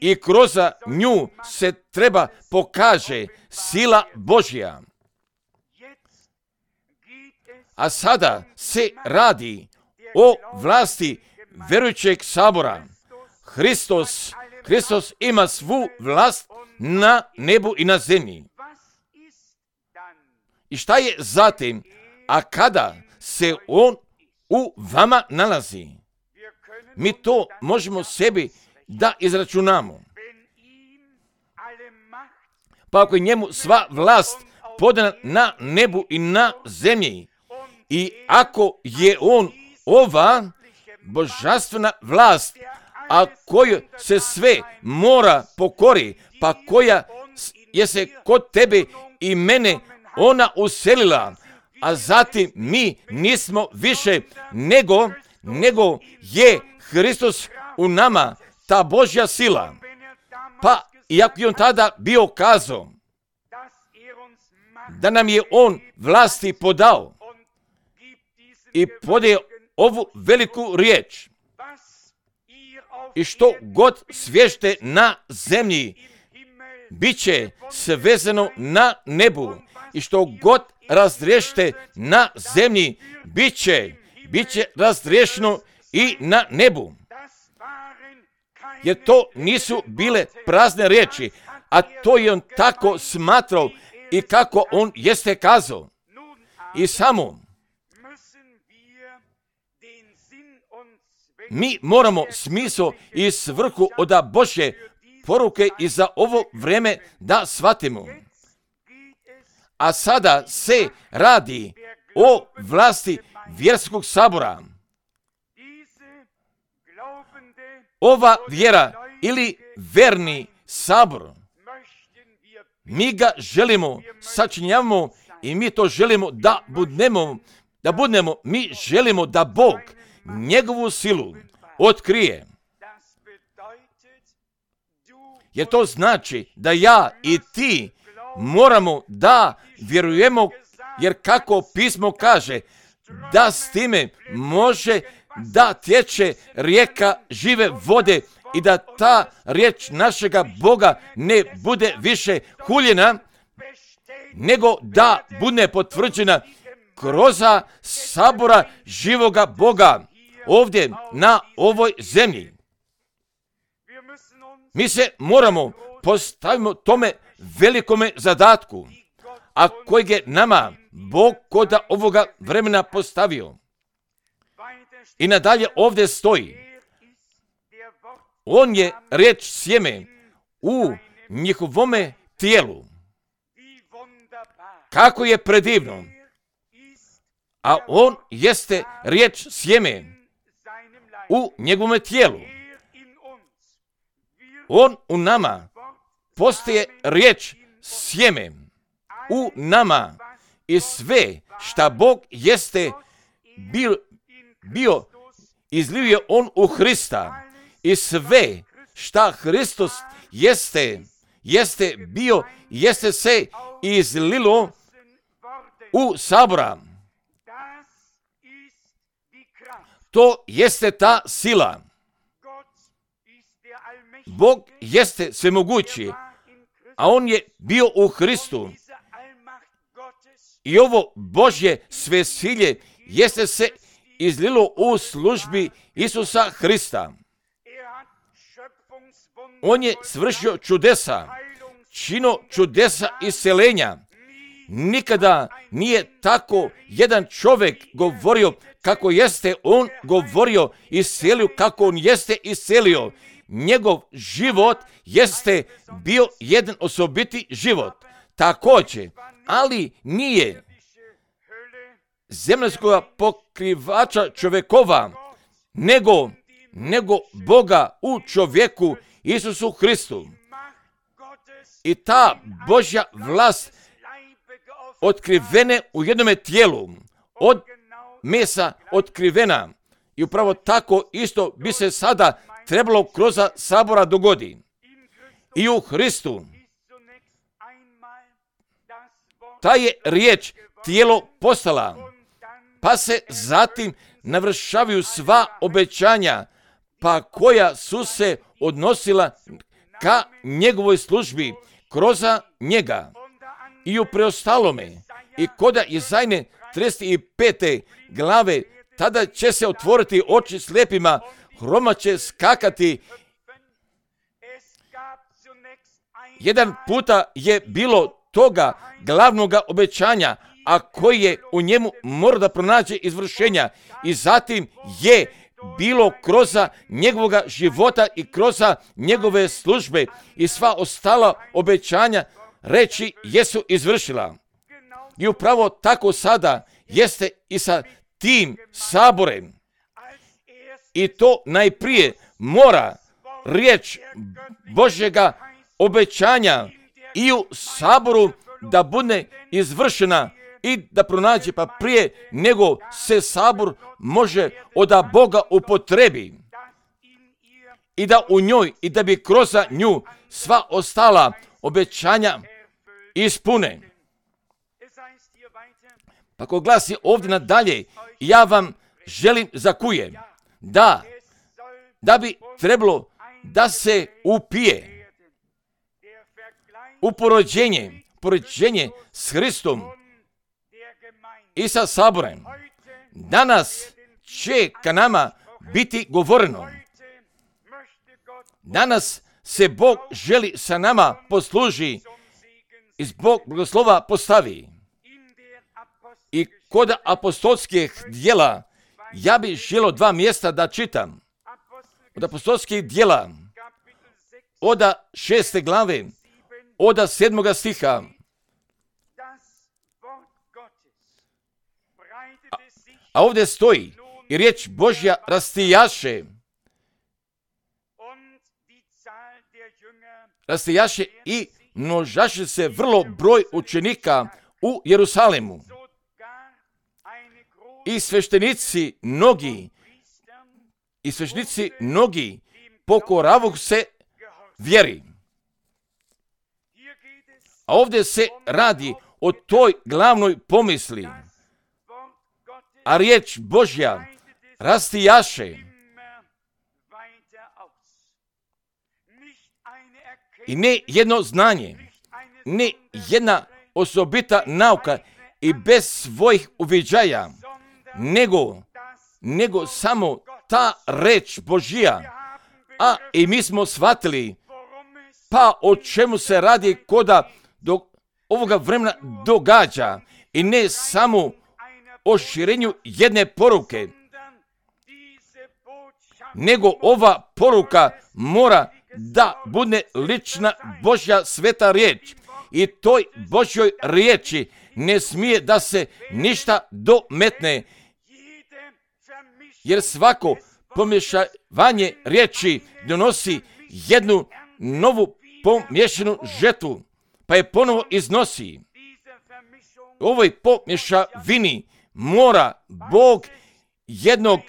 I kroz nju se treba pokaže sila Božja. A sada se radi o vlasti vjerujućeg sabora. Hristos, Hristos ima svu vlast na nebu i na zemlji. I šta je zatim? A kada se on u vama nalazi, mi to možemo sebi da izračunamo. Pa ako je njemu sva vlast podana na nebu i na zemlji, i ako je on ova božanstvena vlast, a koju se sve mora pokori, pa koja je se kod tebe i mene ona uselila, a zatim mi nismo više nego, nego je Hristos u nama, ta Božja sila. Pa iako je on tada bio kazao da nam je on vlasti podao i podaje ovu veliku riječ, i što god svješte na zemlji, bit će svezano na nebu, i što god razriješte na zemlji, bit će, bit će razriješeno i na nebu. Jer to nisu bile prazne riječi, a to je on tako smatrao i kako on jeste kazao. I samo mi moramo smisao i svrhu od Božje poruke i za ovo vrijeme da shvatimo. A sada se radi o vlasti vjerskog sabora. Ova vjera ili verni sabor, mi ga želimo, sačinjavamo i mi to želimo da budnemo, da budnemo, mi želimo da Bog njegovu silu otkrije. Jer to znači da ja i ti moramo da vjerujemo, jer kako pismo kaže, da s time može da tječe rijeka žive vode i da ta riječ našega Boga ne bude više huljena, nego da bude potvrđena kroz sabora živoga Boga ovdje na ovoj zemlji. Mi se moramo postaviti tome velikome zadatku, a kojeg je nama Bog kod ovoga vremena postavio. I nadalje ovdje stoji, on je riječ sjeme u njihovome tijelu. Kako je predivno, a on jeste riječ sjeme u njegovome tijelu. On u nama postaje riječ sjeme u nama i sve šta Bog jeste bio, bio izlio je on u Hrista i sve šta Hristos jeste, jeste bio, jeste se izlilo u sabora. To jeste ta sila. Bog jeste svemogući, a on je bio u Hristu. I ovo Božje svesilje jeste se izlilo u službi Isusa Hrista. On je svršio čudesa, čino čudesa isceljenja. Nikada nije tako jedan čovjek govorio kako jeste on govorio i iscelio, kako on jeste iscelio. Njegov život jeste bio jedan osobiti život. Također, ali nije zemaljskog pokrivača čovjekova, nego, nego Boga u čovjeku Isusu Hristu. I ta Božja vlast otkrivene u jednome tijelu, od mesa otkrivena. I upravo tako isto bi se sada trebalo kroz sabora dogodi. I u Hristu ta je riječ tijelo postala, pa se zatim navršavaju sva obećanja, pa koja su se odnosila ka njegovoj službi kroz njega. I u preostalome, i koda Jezajne trideset pete glave, tada će se otvoriti oči slijepima, hroma će skakati. Jedan puta je bilo toga glavnoga obećanja, a koji je u njemu mora da pronađe izvršenja. I zatim je bilo kroz njegovoga života i kroz njegove službe i sva ostala obećanja reći jesu izvršila. I upravo tako sada jeste i sa tim saborem. I to najprije mora riječ Božjega obećanja i u saboru da bude izvršena i da pronađe, pa prije nego se sabor može od Boga upotrebi i da u njoj i da bi kroz nju sva ostala obećanja ispune. Pa ko glasi ovdje nadalje, ja vam želim zakujem da, da bi trebalo da se upije u porođenje, porođenje s Hristom i sa saborem. Danas će ka nama biti govoreno. Danas se Bog želi sa nama posluži i zbog blagoslova postavi. I kod apostolskih djela ja bih želio dva mjesta da čitam. Od apostolskih djela, od šeste glave, od sedmoga stiha. A, a ovdje stoji i riječ Božja rastijaše. Rastijaše i množaše se vrlo broj učenika u Jerusalemu. I sveštenici mnogi, i sveštenici mnogi pokoravu se vjeri. A ovdje se radi o toj glavnoj pomisli. A riječ Božja rastijaše. I ne jedno znanje, ne jedna osobita nauka i bez svojih uviđaja, nego, nego samo ta reč Božja. A i mi smo shvatili, pa o čemu se radi koda do ovoga vremena događa. I ne samo o širenju jedne poruke, nego ova poruka mora da bude lična Božja sveta riječ. I toj Božjoj riječi ne smije da se ništa dometne, jer svako pomješavanje riječi donosi jednu novu pomješanu žetvu, pa je ponovo iznosi. U ovoj pomješavini mora Bog jednog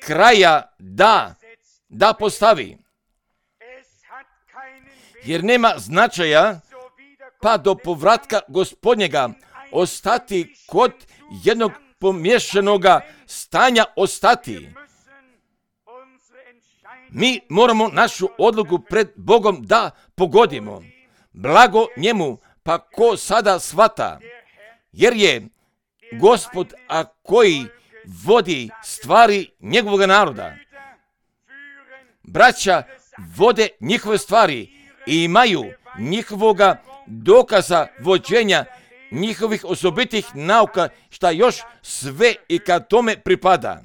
kraja da, da postavi. Jer nema značaja pa do povratka Gospodnjega ostati kod jednog pomješanoga stanja ostati. Mi moramo našu odluku pred Bogom da pogodimo. Blago njemu, pa ko sada shvata, jer je Gospod, a koji vodi stvari njegovog naroda. Braća vode njihove stvari i imaju njihovoga dokaza vođenja njihovih osobitih nauka, šta još sve i kad tome pripada.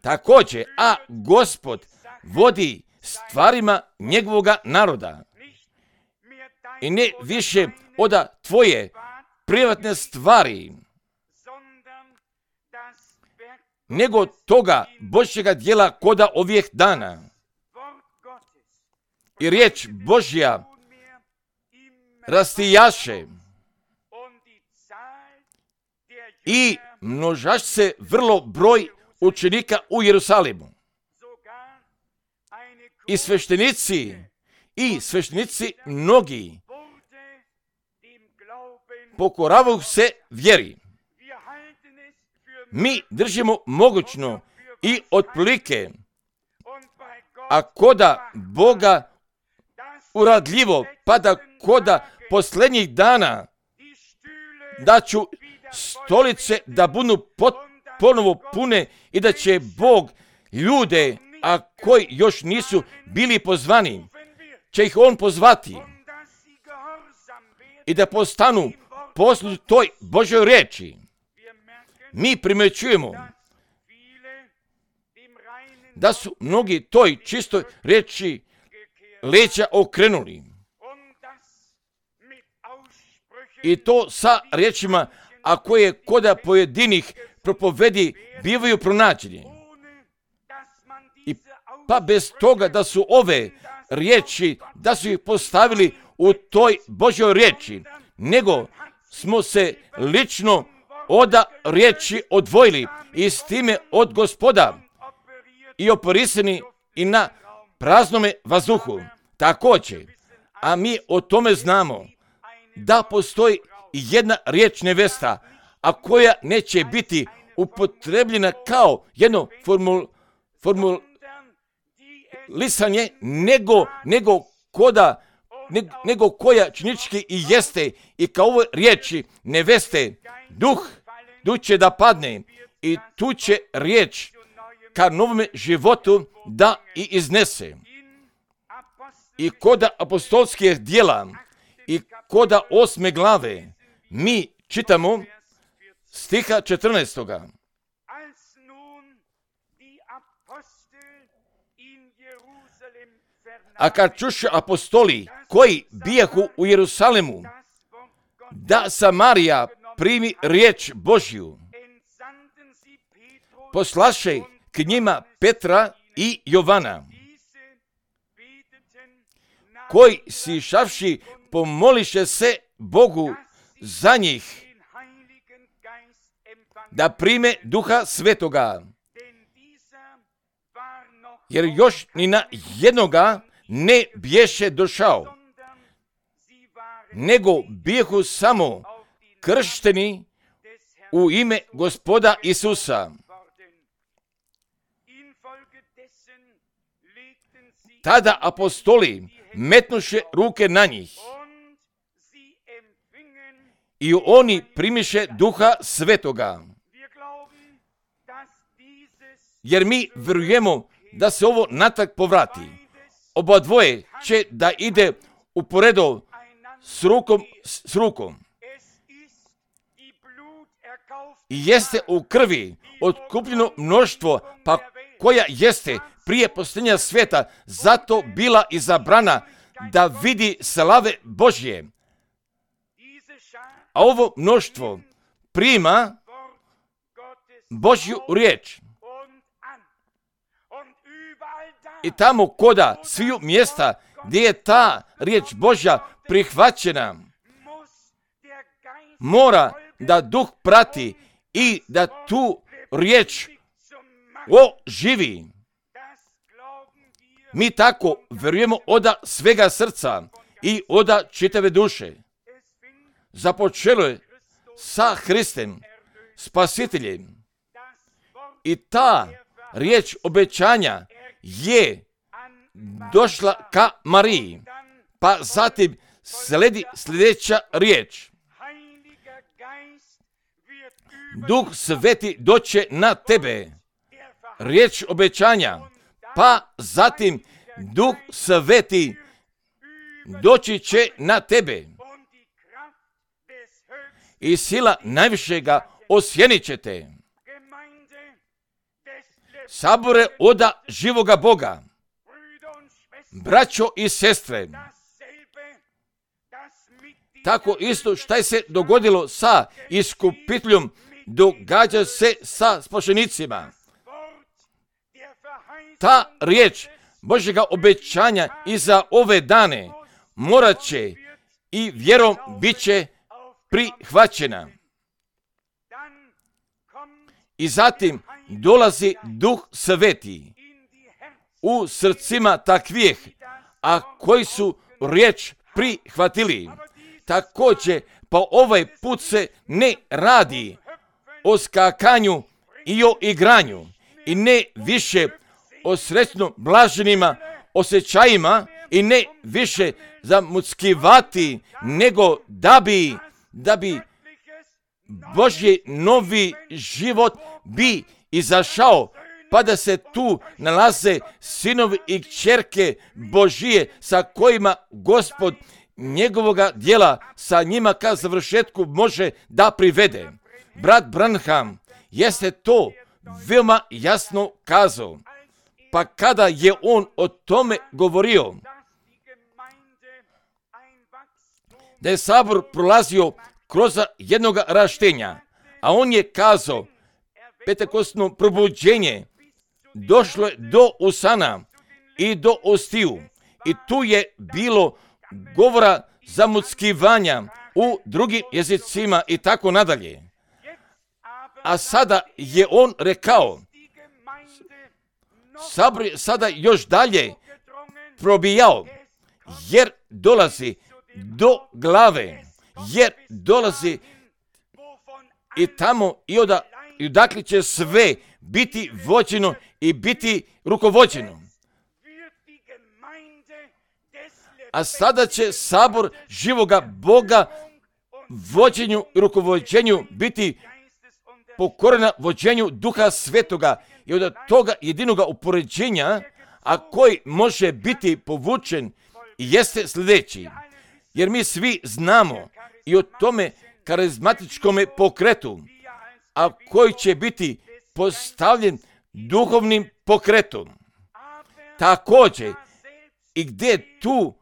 Također, a Gospod vodi stvarima njegovoga naroda. I ne više od tvoje privatne stvari, nego toga Božjega djela koda ovih dana. I riječ Božja rastijaše i množaš se vrlo broj učenika u Jerusalimu. I sveštenici, i sveštenici mnogi pokoravaju se vjeri. Mi držimo mogućno i otprilike, a koda Boga uradljivo, pa da koda posljednjih dana da ću stolice da budu pot, ponovo pune i da će Bog ljude, a koji još nisu bili pozvani, će ih On pozvati i da postanu poslušni toj Božoj riječi. Mi primjećujemo da su mnogi toj čistoj riječi leđa okrenuli. I to sa riječima, a koje koda pojedinih propovedi bivaju pronađeni. I pa bez toga da su ove riječi, da su ih postavili u toj Božoj riječi, nego smo se lično od riječi odvojili i s time od Gospoda i oporisani i na praznome vazduhu. Također, a mi o tome znamo da postoji jedna riječ nevesta, a koja neće biti upotrebljena kao jedno formul, formulisanje, nego, nego, koda, ne, nego koja činički i jeste i kao ove riječi neveste, duh, duh će da padne i tu će riječ ka novome životu da i iznese. I koda apostolskih djela i koda osme glave mi čitamo stiha četrnaestoga. A kad čuše apostoli koji bijahu u Jerusalimu da Samarija primi riječ Božju, poslaše k njima Petra i Jovana, koji sišavši pomoliše se Bogu za njih da prime Duha Svetoga, jer još ni na jednoga ne bješe došao, nego bijehu samo kršteni u ime Gospoda Isusa. Tada apostoli metnuše ruke na njih i oni primiše Duha Svetoga. Jer mi vjerujemo da se ovo natrag povrati. Oba dvoje će da ide uporedo s rukom s rukom. I jeste u krvi otkupljeno mnoštvo, pa koja jeste prije posljednja svijeta zato bila izabrana da vidi slave Božje. A ovo mnoštvo prima Božju riječ. I tamo koda sviju mjesta gdje je ta riječ Božja prihvaćena, mora da duh prati i da tu riječ oživi. Mi tako vjerujemo od svega srca i od čitave duše. Započelo je sa Hristem, Spasiteljem. I ta riječ obećanja je došla ka Mariji, pa zatim sledi sljedeća riječ. Duh Sveti doće na tebe. Riječ obećanja, pa zatim Duh Sveti doći će na tebe. I sila najvišega osjenit će te. Sabore oda živoga Boga, braćo i sestre, tako isto šta je se dogodilo sa iskupiteljom, događa se sa spašenicima. Ta riječ Božjega obećanja i za ove dane morat će i vjerom bit će prihvaćena. I zatim dolazi Duh Sveti u srcima takvih, a koji su riječ prihvatili. Također, pa ovaj put se ne radi o skakanju i o igranju i ne više o srećno blaženima osjećajima i ne više zamuckivati, nego da bi, da bi Božji novi život bi izašao, pa da se tu nalaze sinovi i kćerke Božije sa kojima Gospod njegovoga djela sa njima ka završetku može da privede. Brat Branham jeste to veoma jasno kazao. Pa kada je on o tome govorio, da je sabor prolazio kroz jednog raštenja, a on je kazao, pentekostno probuđenje došlo je do usana i do ostiju. I tu je bilo govora zamuckivanja u drugim jezicima i tako nadalje. A sada je on rekao, sabor je sada još dalje probijao, jer dolazi do glave, jer dolazi i tamo i oda, i odakle će sve biti vođeno i biti rukovođeno. A sada će sabor živoga Boga vođenju i rukovođenju biti pokorena vođenju Duha Svetoga i od toga jedinoga upoređenja, a koji može biti povučen, jeste sljedeći. Jer mi svi znamo i o tome karizmatičkome pokretu, a koji će biti postavljen duhovnim pokretom. Također, i gdje tu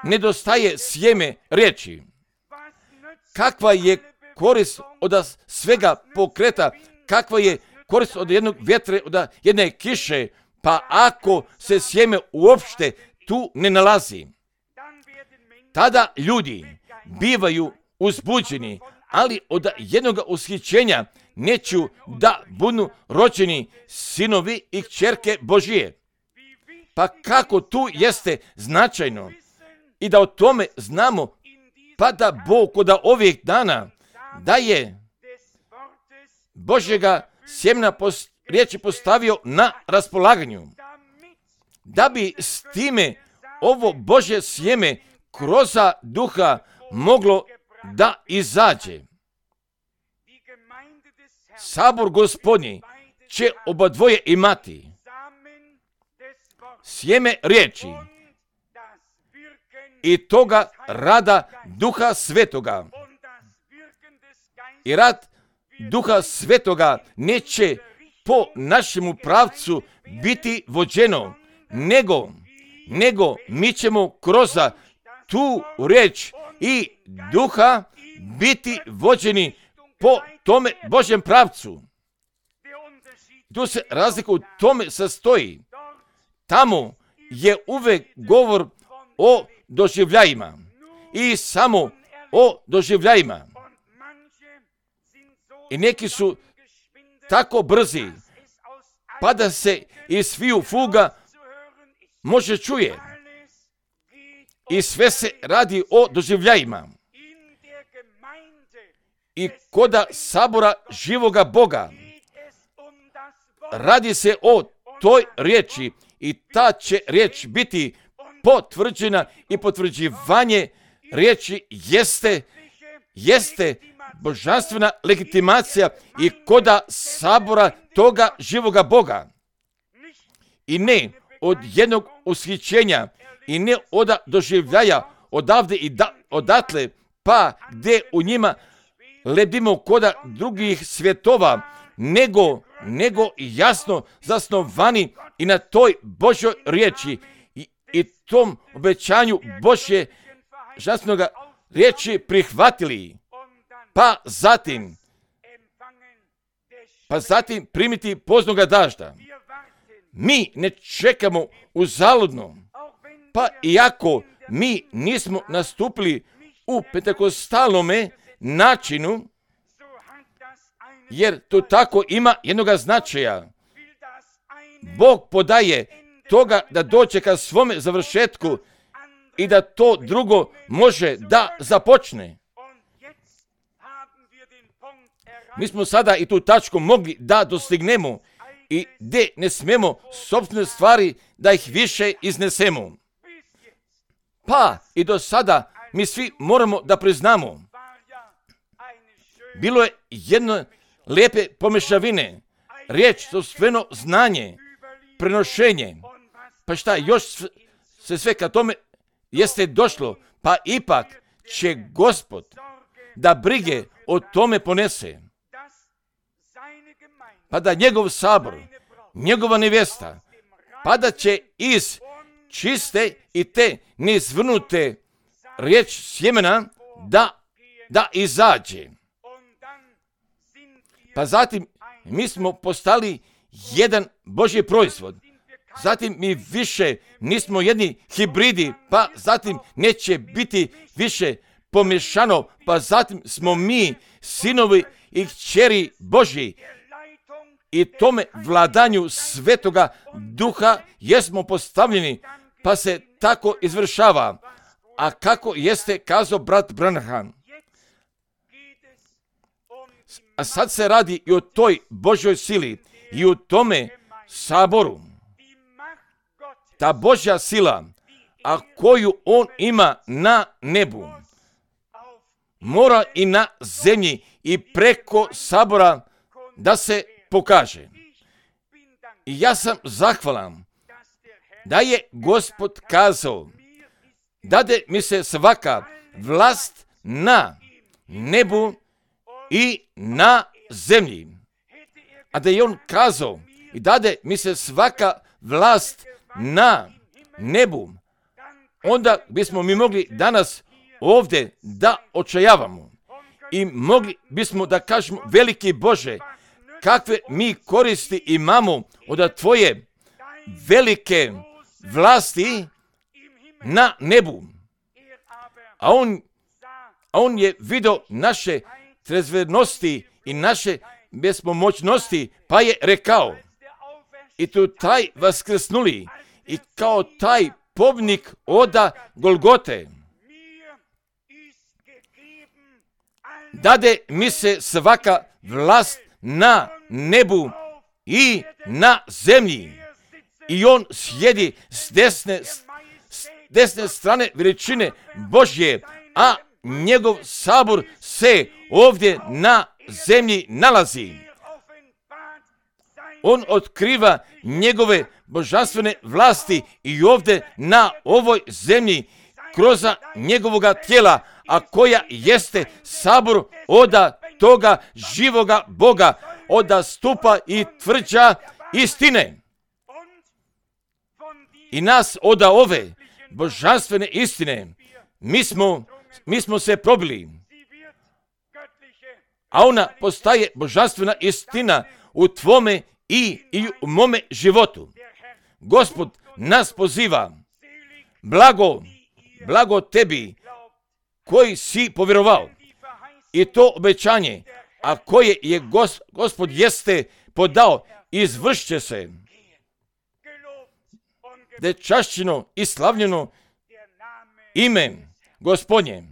nedostaje sjeme riječi. Kakva je korist od svega pokreta, kakva je korist od jednog vjetre, od jedne kiše, pa ako se sjeme uopšte tu ne nalazi, tada ljudi bivaju uzbuđeni, ali od jednog ushićenja neću da budu rođeni sinovi i kćerke Božije. Pa kako tu jeste značajno i da o tome znamo, pa da Bog od ovih dana daje Božjega sjemena post, riječi postavio na raspolaganju, da bi s time ovo Božje sjeme kroz Duha moglo da izađe. Sabor Gospodnji će oba dvoje imati sjeme riječi i toga rada Duha Svetoga. I rad Duha Svetoga neće po našemu pravcu biti vođeno, nego, nego mi ćemo kroz tu riječ i Duha biti vođeni po tome Božjem pravcu. Tu se razlika u tome sastoji. Tamo je uvek govor o doživljajima i samo o doživljajima. I neki su tako brzi, pa da se iz sviju fuga može čuje. I sve se radi o doživljajima. I koda sabora živoga Boga radi se o toj riječi i ta će riječ biti potvrđena i potvrđivanje riječi jeste, jeste božanstvena legitimacija i koda sabora toga živoga Boga. I ne od jednog ushićenja i ne od doživljaja odavde i da, odatle, pa gdje u njima lebdimo koda drugih svjetova, nego, nego jasno zasnovani i na toj Božoj riječi i, i tom obećanju Božje žasnoga riječi prihvatili, pa zatim, pa zatim primiti poznoga dažda. Mi ne čekamo uzaludno, pa iako mi nismo nastupili u pentekostalnome načinu, jer to tako ima jednoga značaja. Bog podaje toga da dođe ka svome završetku i da to drugo može da započne. Mi smo sada i tu tačku mogli da dostignemo i gdje ne smemo sopstvene stvari da ih više iznesemo. Pa i do sada mi svi moramo da priznamo. Bilo je jedno lijepe pomešavine, riječ, sopstveno znanje, prenošenje. Pa šta, još se sve ka tome jeste došlo, pa ipak će Gospod da brige o tome ponese. Pa da njegov sabor, njegova nevjesta, pa da će iz čiste i te neizvrnute riječ sjemena da, da izađe. Pa zatim mi smo postali jedan Božji proizvod. Zatim mi više nismo jedni hibridi, pa zatim neće biti više pomješano, pa zatim smo mi sinovi i kćeri Božji. I tome vladanju Svetoga Duha jesmo postavljeni, pa se tako izvršava. A kako jeste kazao brat Branham? A sad se radi i o toj Božjoj sili i u tome saboru. Ta Božja sila, a koju on ima na nebu, mora i na zemlji i preko sabora da se pokaže. I ja sam zahvalan da je Gospod kazao, dade mi se svaka vlast na nebu i na zemlji. A da je on kazao i dade mi se svaka vlast na nebu, onda bismo mi mogli danas ovdje da očajavamo i mogli bismo da kažemo, veliki Bože, kakve mi koristi imamo od tvoje velike vlasti na nebu. A on, a on je vidio naše trezvenosti i naše bespomoćnosti, pa je rekao, i tu taj vaskrsnuli i kao taj pobnik oda Golgote, dade mi se svaka vlast na nebu i na zemlji. I on sjedi s desne, s desne strane veličine Božje, a njegov sabor se ovdje na zemlji nalazi. On otkriva njegove božanstvene vlasti i ovdje na ovoj zemlji kroz njegovoga tijela, a koja jeste sabor oda toga živoga Boga, oda stupa i tvrđa istine. I nas oda ove božanstvene istine mi smo, mi smo se probili, a ona postaje božanstvena istina u tvome i, i u mome životu. Gospod nas poziva, blago, blago tebi koji si povjerovao, i to obećanje, a koje je gos, Gospod jeste podao, izvršće se. Da je čašćeno i slavljeno ime Gospodnje.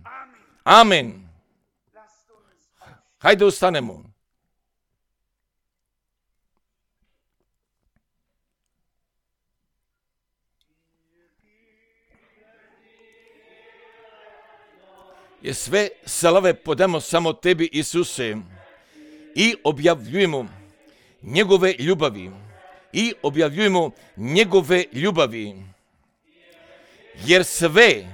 Amen. Hajde ustanemo. Je sve slave podamo samo tebi, Isuse, i objavljujemo njegove ljubavi. I objavljujemo njegove ljubavi. Jer sve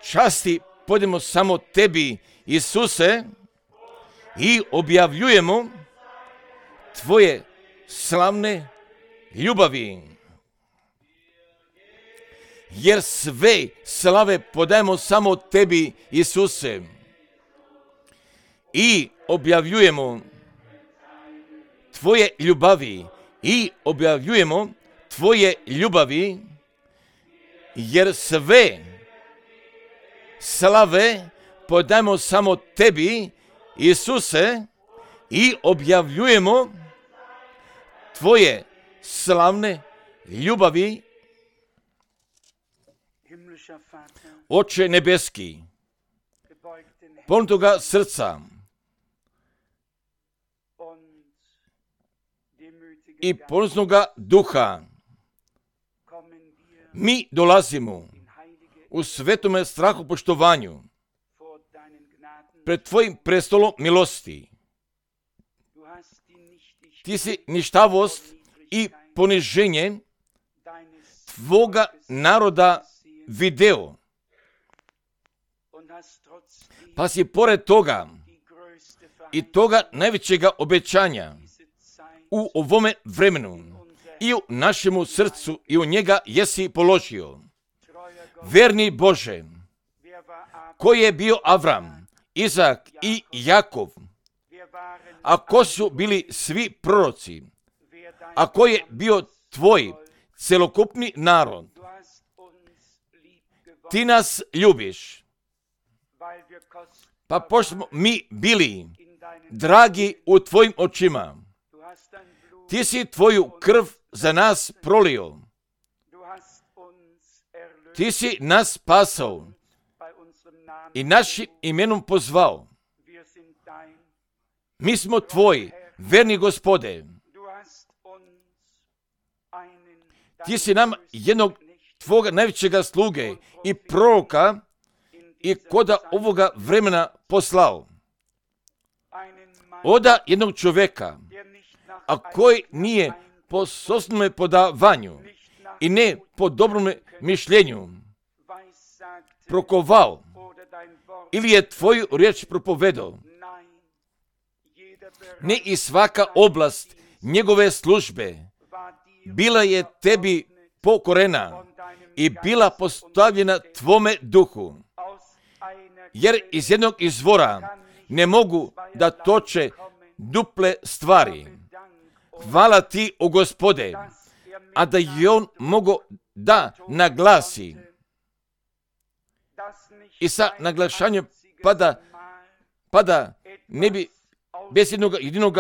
časti podamo samo tebi, Isuse, i objavljujemo tvoje slavne ljubavi. Jer sve slave podajemo samo tebi, Isuse, i objavljujemo tvoje ljubavi, i objavljujemo tvoje ljubavi, jer sve slave podajemo samo tebi, Isuse, i objavljujemo tvoje slavne ljubavi, Oče nebeski, ponutoga srca i poniznoga duha, mi dolazimo u svetome strahu poštovanju pred tvojim prestolom milosti. Ti si ništavost i poniženje tvoga naroda video, pa si pored toga i toga najvećega obećanja u ovome vremenu i u našemu srcu i u njega jesi položio. Verni Bože, koji je bio Avram, Izak i Jakov, a ko su bili svi proroci, a ko je bio tvoj celokupni narod, ti nas ljubiš, pa pošto smo mi bili dragi u tvojim očima, ti si tvoju krv za nas prolio, ti si nas spasao i našim imenom pozvao. Mi smo tvoji, verni Gospode. Ti si nam jednog tvoga najvećega sluge i proroka i koda ovoga vremena poslao. Oda jednog čovjeka, a koji nije po sopstvenome podavanju i ne po dobrom mišljenju prokovao ili je tvoju riječ propovedao. Ne i svaka oblast njegove službe bila je tebi pokorena i bila postavljena tvome duhu, jer iz jednog izvora ne mogu da toče duple stvari. Hvala ti, o Gospode, a da je on mogo da naglasi i sa naglašanjem pada, pada ne bi bez jednog jedinog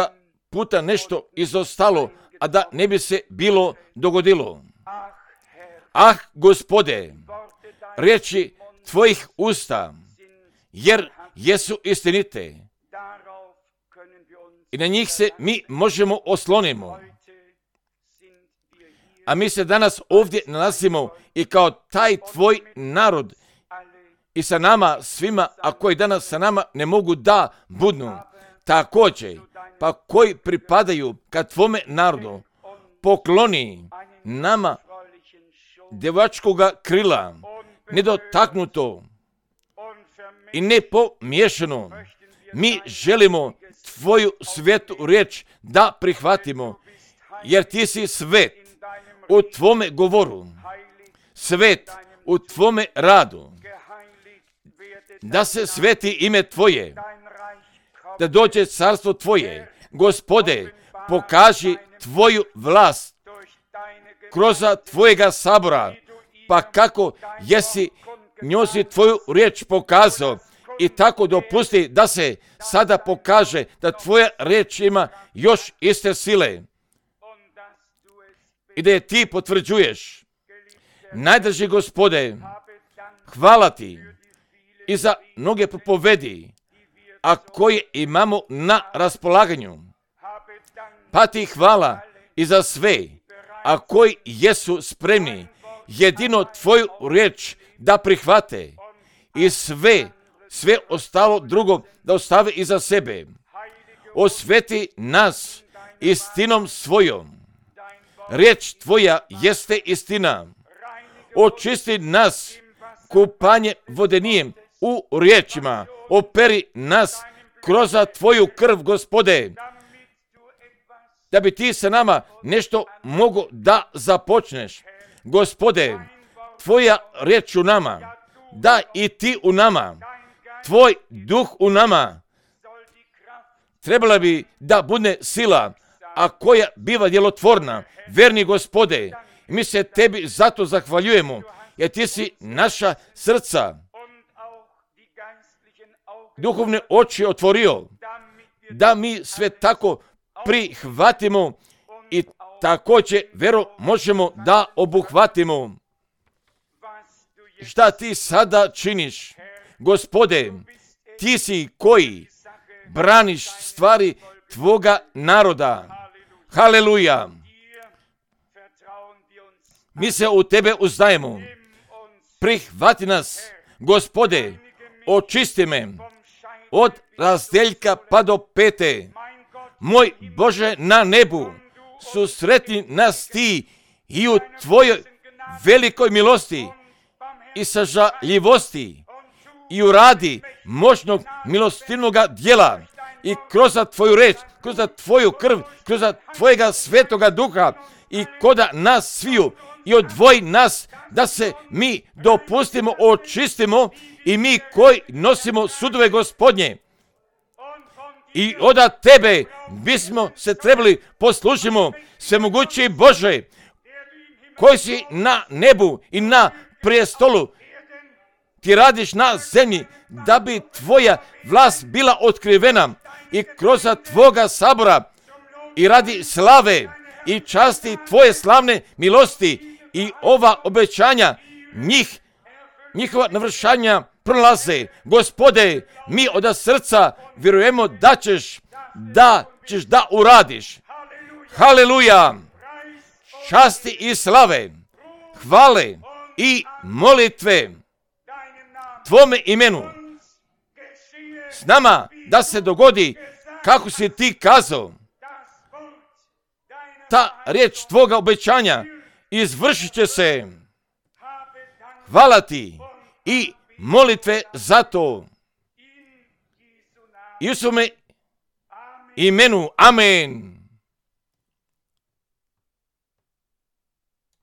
puta nešto izostalo, a da ne bi se bilo dogodilo. Ah, Gospode, riječi tvojih usta, jer jesu istinite i na njih se mi možemo oslonimo. A mi se danas ovdje nalazimo i kao taj tvoj narod i sa nama svima, a koji danas sa nama ne mogu da budnu, također, pa koji pripadaju ka tvome narodu, pokloni nama djevačkoga krila, nedotaknuto i nepomiješano. Mi želimo tvoju svetu riječ da prihvatimo, jer ti si svet u tvome govoru, svet u tvome radu, da se sveti ime tvoje, da dođe carstvo tvoje. Gospode, pokaži tvoju vlast kroz tvojega sabora, pa kako jesi njozi tvoju riječ pokazao i tako dopusti da se sada pokaže da tvoja riječ ima još iste sile i da je ti potvrđuješ. Najdrži Gospode, hvala ti i za mnoge propovedi, a koje imamo na raspolaganju. Pa ti hvala i za sve, a koji jesu spremni jedino tvoju riječ da prihvate i sve, sve ostalo drugo da ostave iza sebe. Osveti nas istinom svojom. Riječ tvoja jeste istina. Očisti nas kupanje vodenijem u riječima. Operi nas kroz tvoju krv, Gospode, da bi ti sa nama nešto mogo da započneš. Gospode, tvoja riječ u nama, da i ti u nama, tvoj duh u nama, trebala bi da bude sila, a koja biva djelotvorna. Verni Gospode, mi se tebi zato zahvaljujemo, jer ti si naša srca, duhovne oči otvorio, da mi sve tako prihvatimo i također vjerom možemo da obuhvatimo. Šta ti sada činiš? Gospode, ti si koji braniš stvari tvoga naroda. Haleluja! Mi se u tebe uzdajemo. Prihvati nas, Gospode, očisti me od razdeljka pa do pete. Moj Bože na nebu, susretni nas ti i u tvojoj velikoj milosti i sažaljivosti i u radi moćnog milostivnoga djela i kroz tvoju reč, kroz tvoju krv, kroz tvojega svetoga duha i koda nas sviju i odvoji nas da se mi dopustimo, očistimo i mi koji nosimo sudove Gospodnje. I od tebe bismo se trebali poslušimo, svemogući Bože, koji si na nebu i na prijestolu, ti radiš na zemlji da bi tvoja vlast bila otkrivena i kroz tvoga sabora i radi slave i časti tvoje slavne milosti i ova obećanja njih, njihova navršanja prolaze. Gospode, mi od srca vjerujemo da ćeš, da ćeš da uradiš. Haleluja! Časti i slave, hvale i molitve tvome imenu. S nama da se dogodi kako si ti kazao. Ta riječ tvoga obećanja izvršit će se. Hvala ti i molitve za to. Isume imenu. Amen.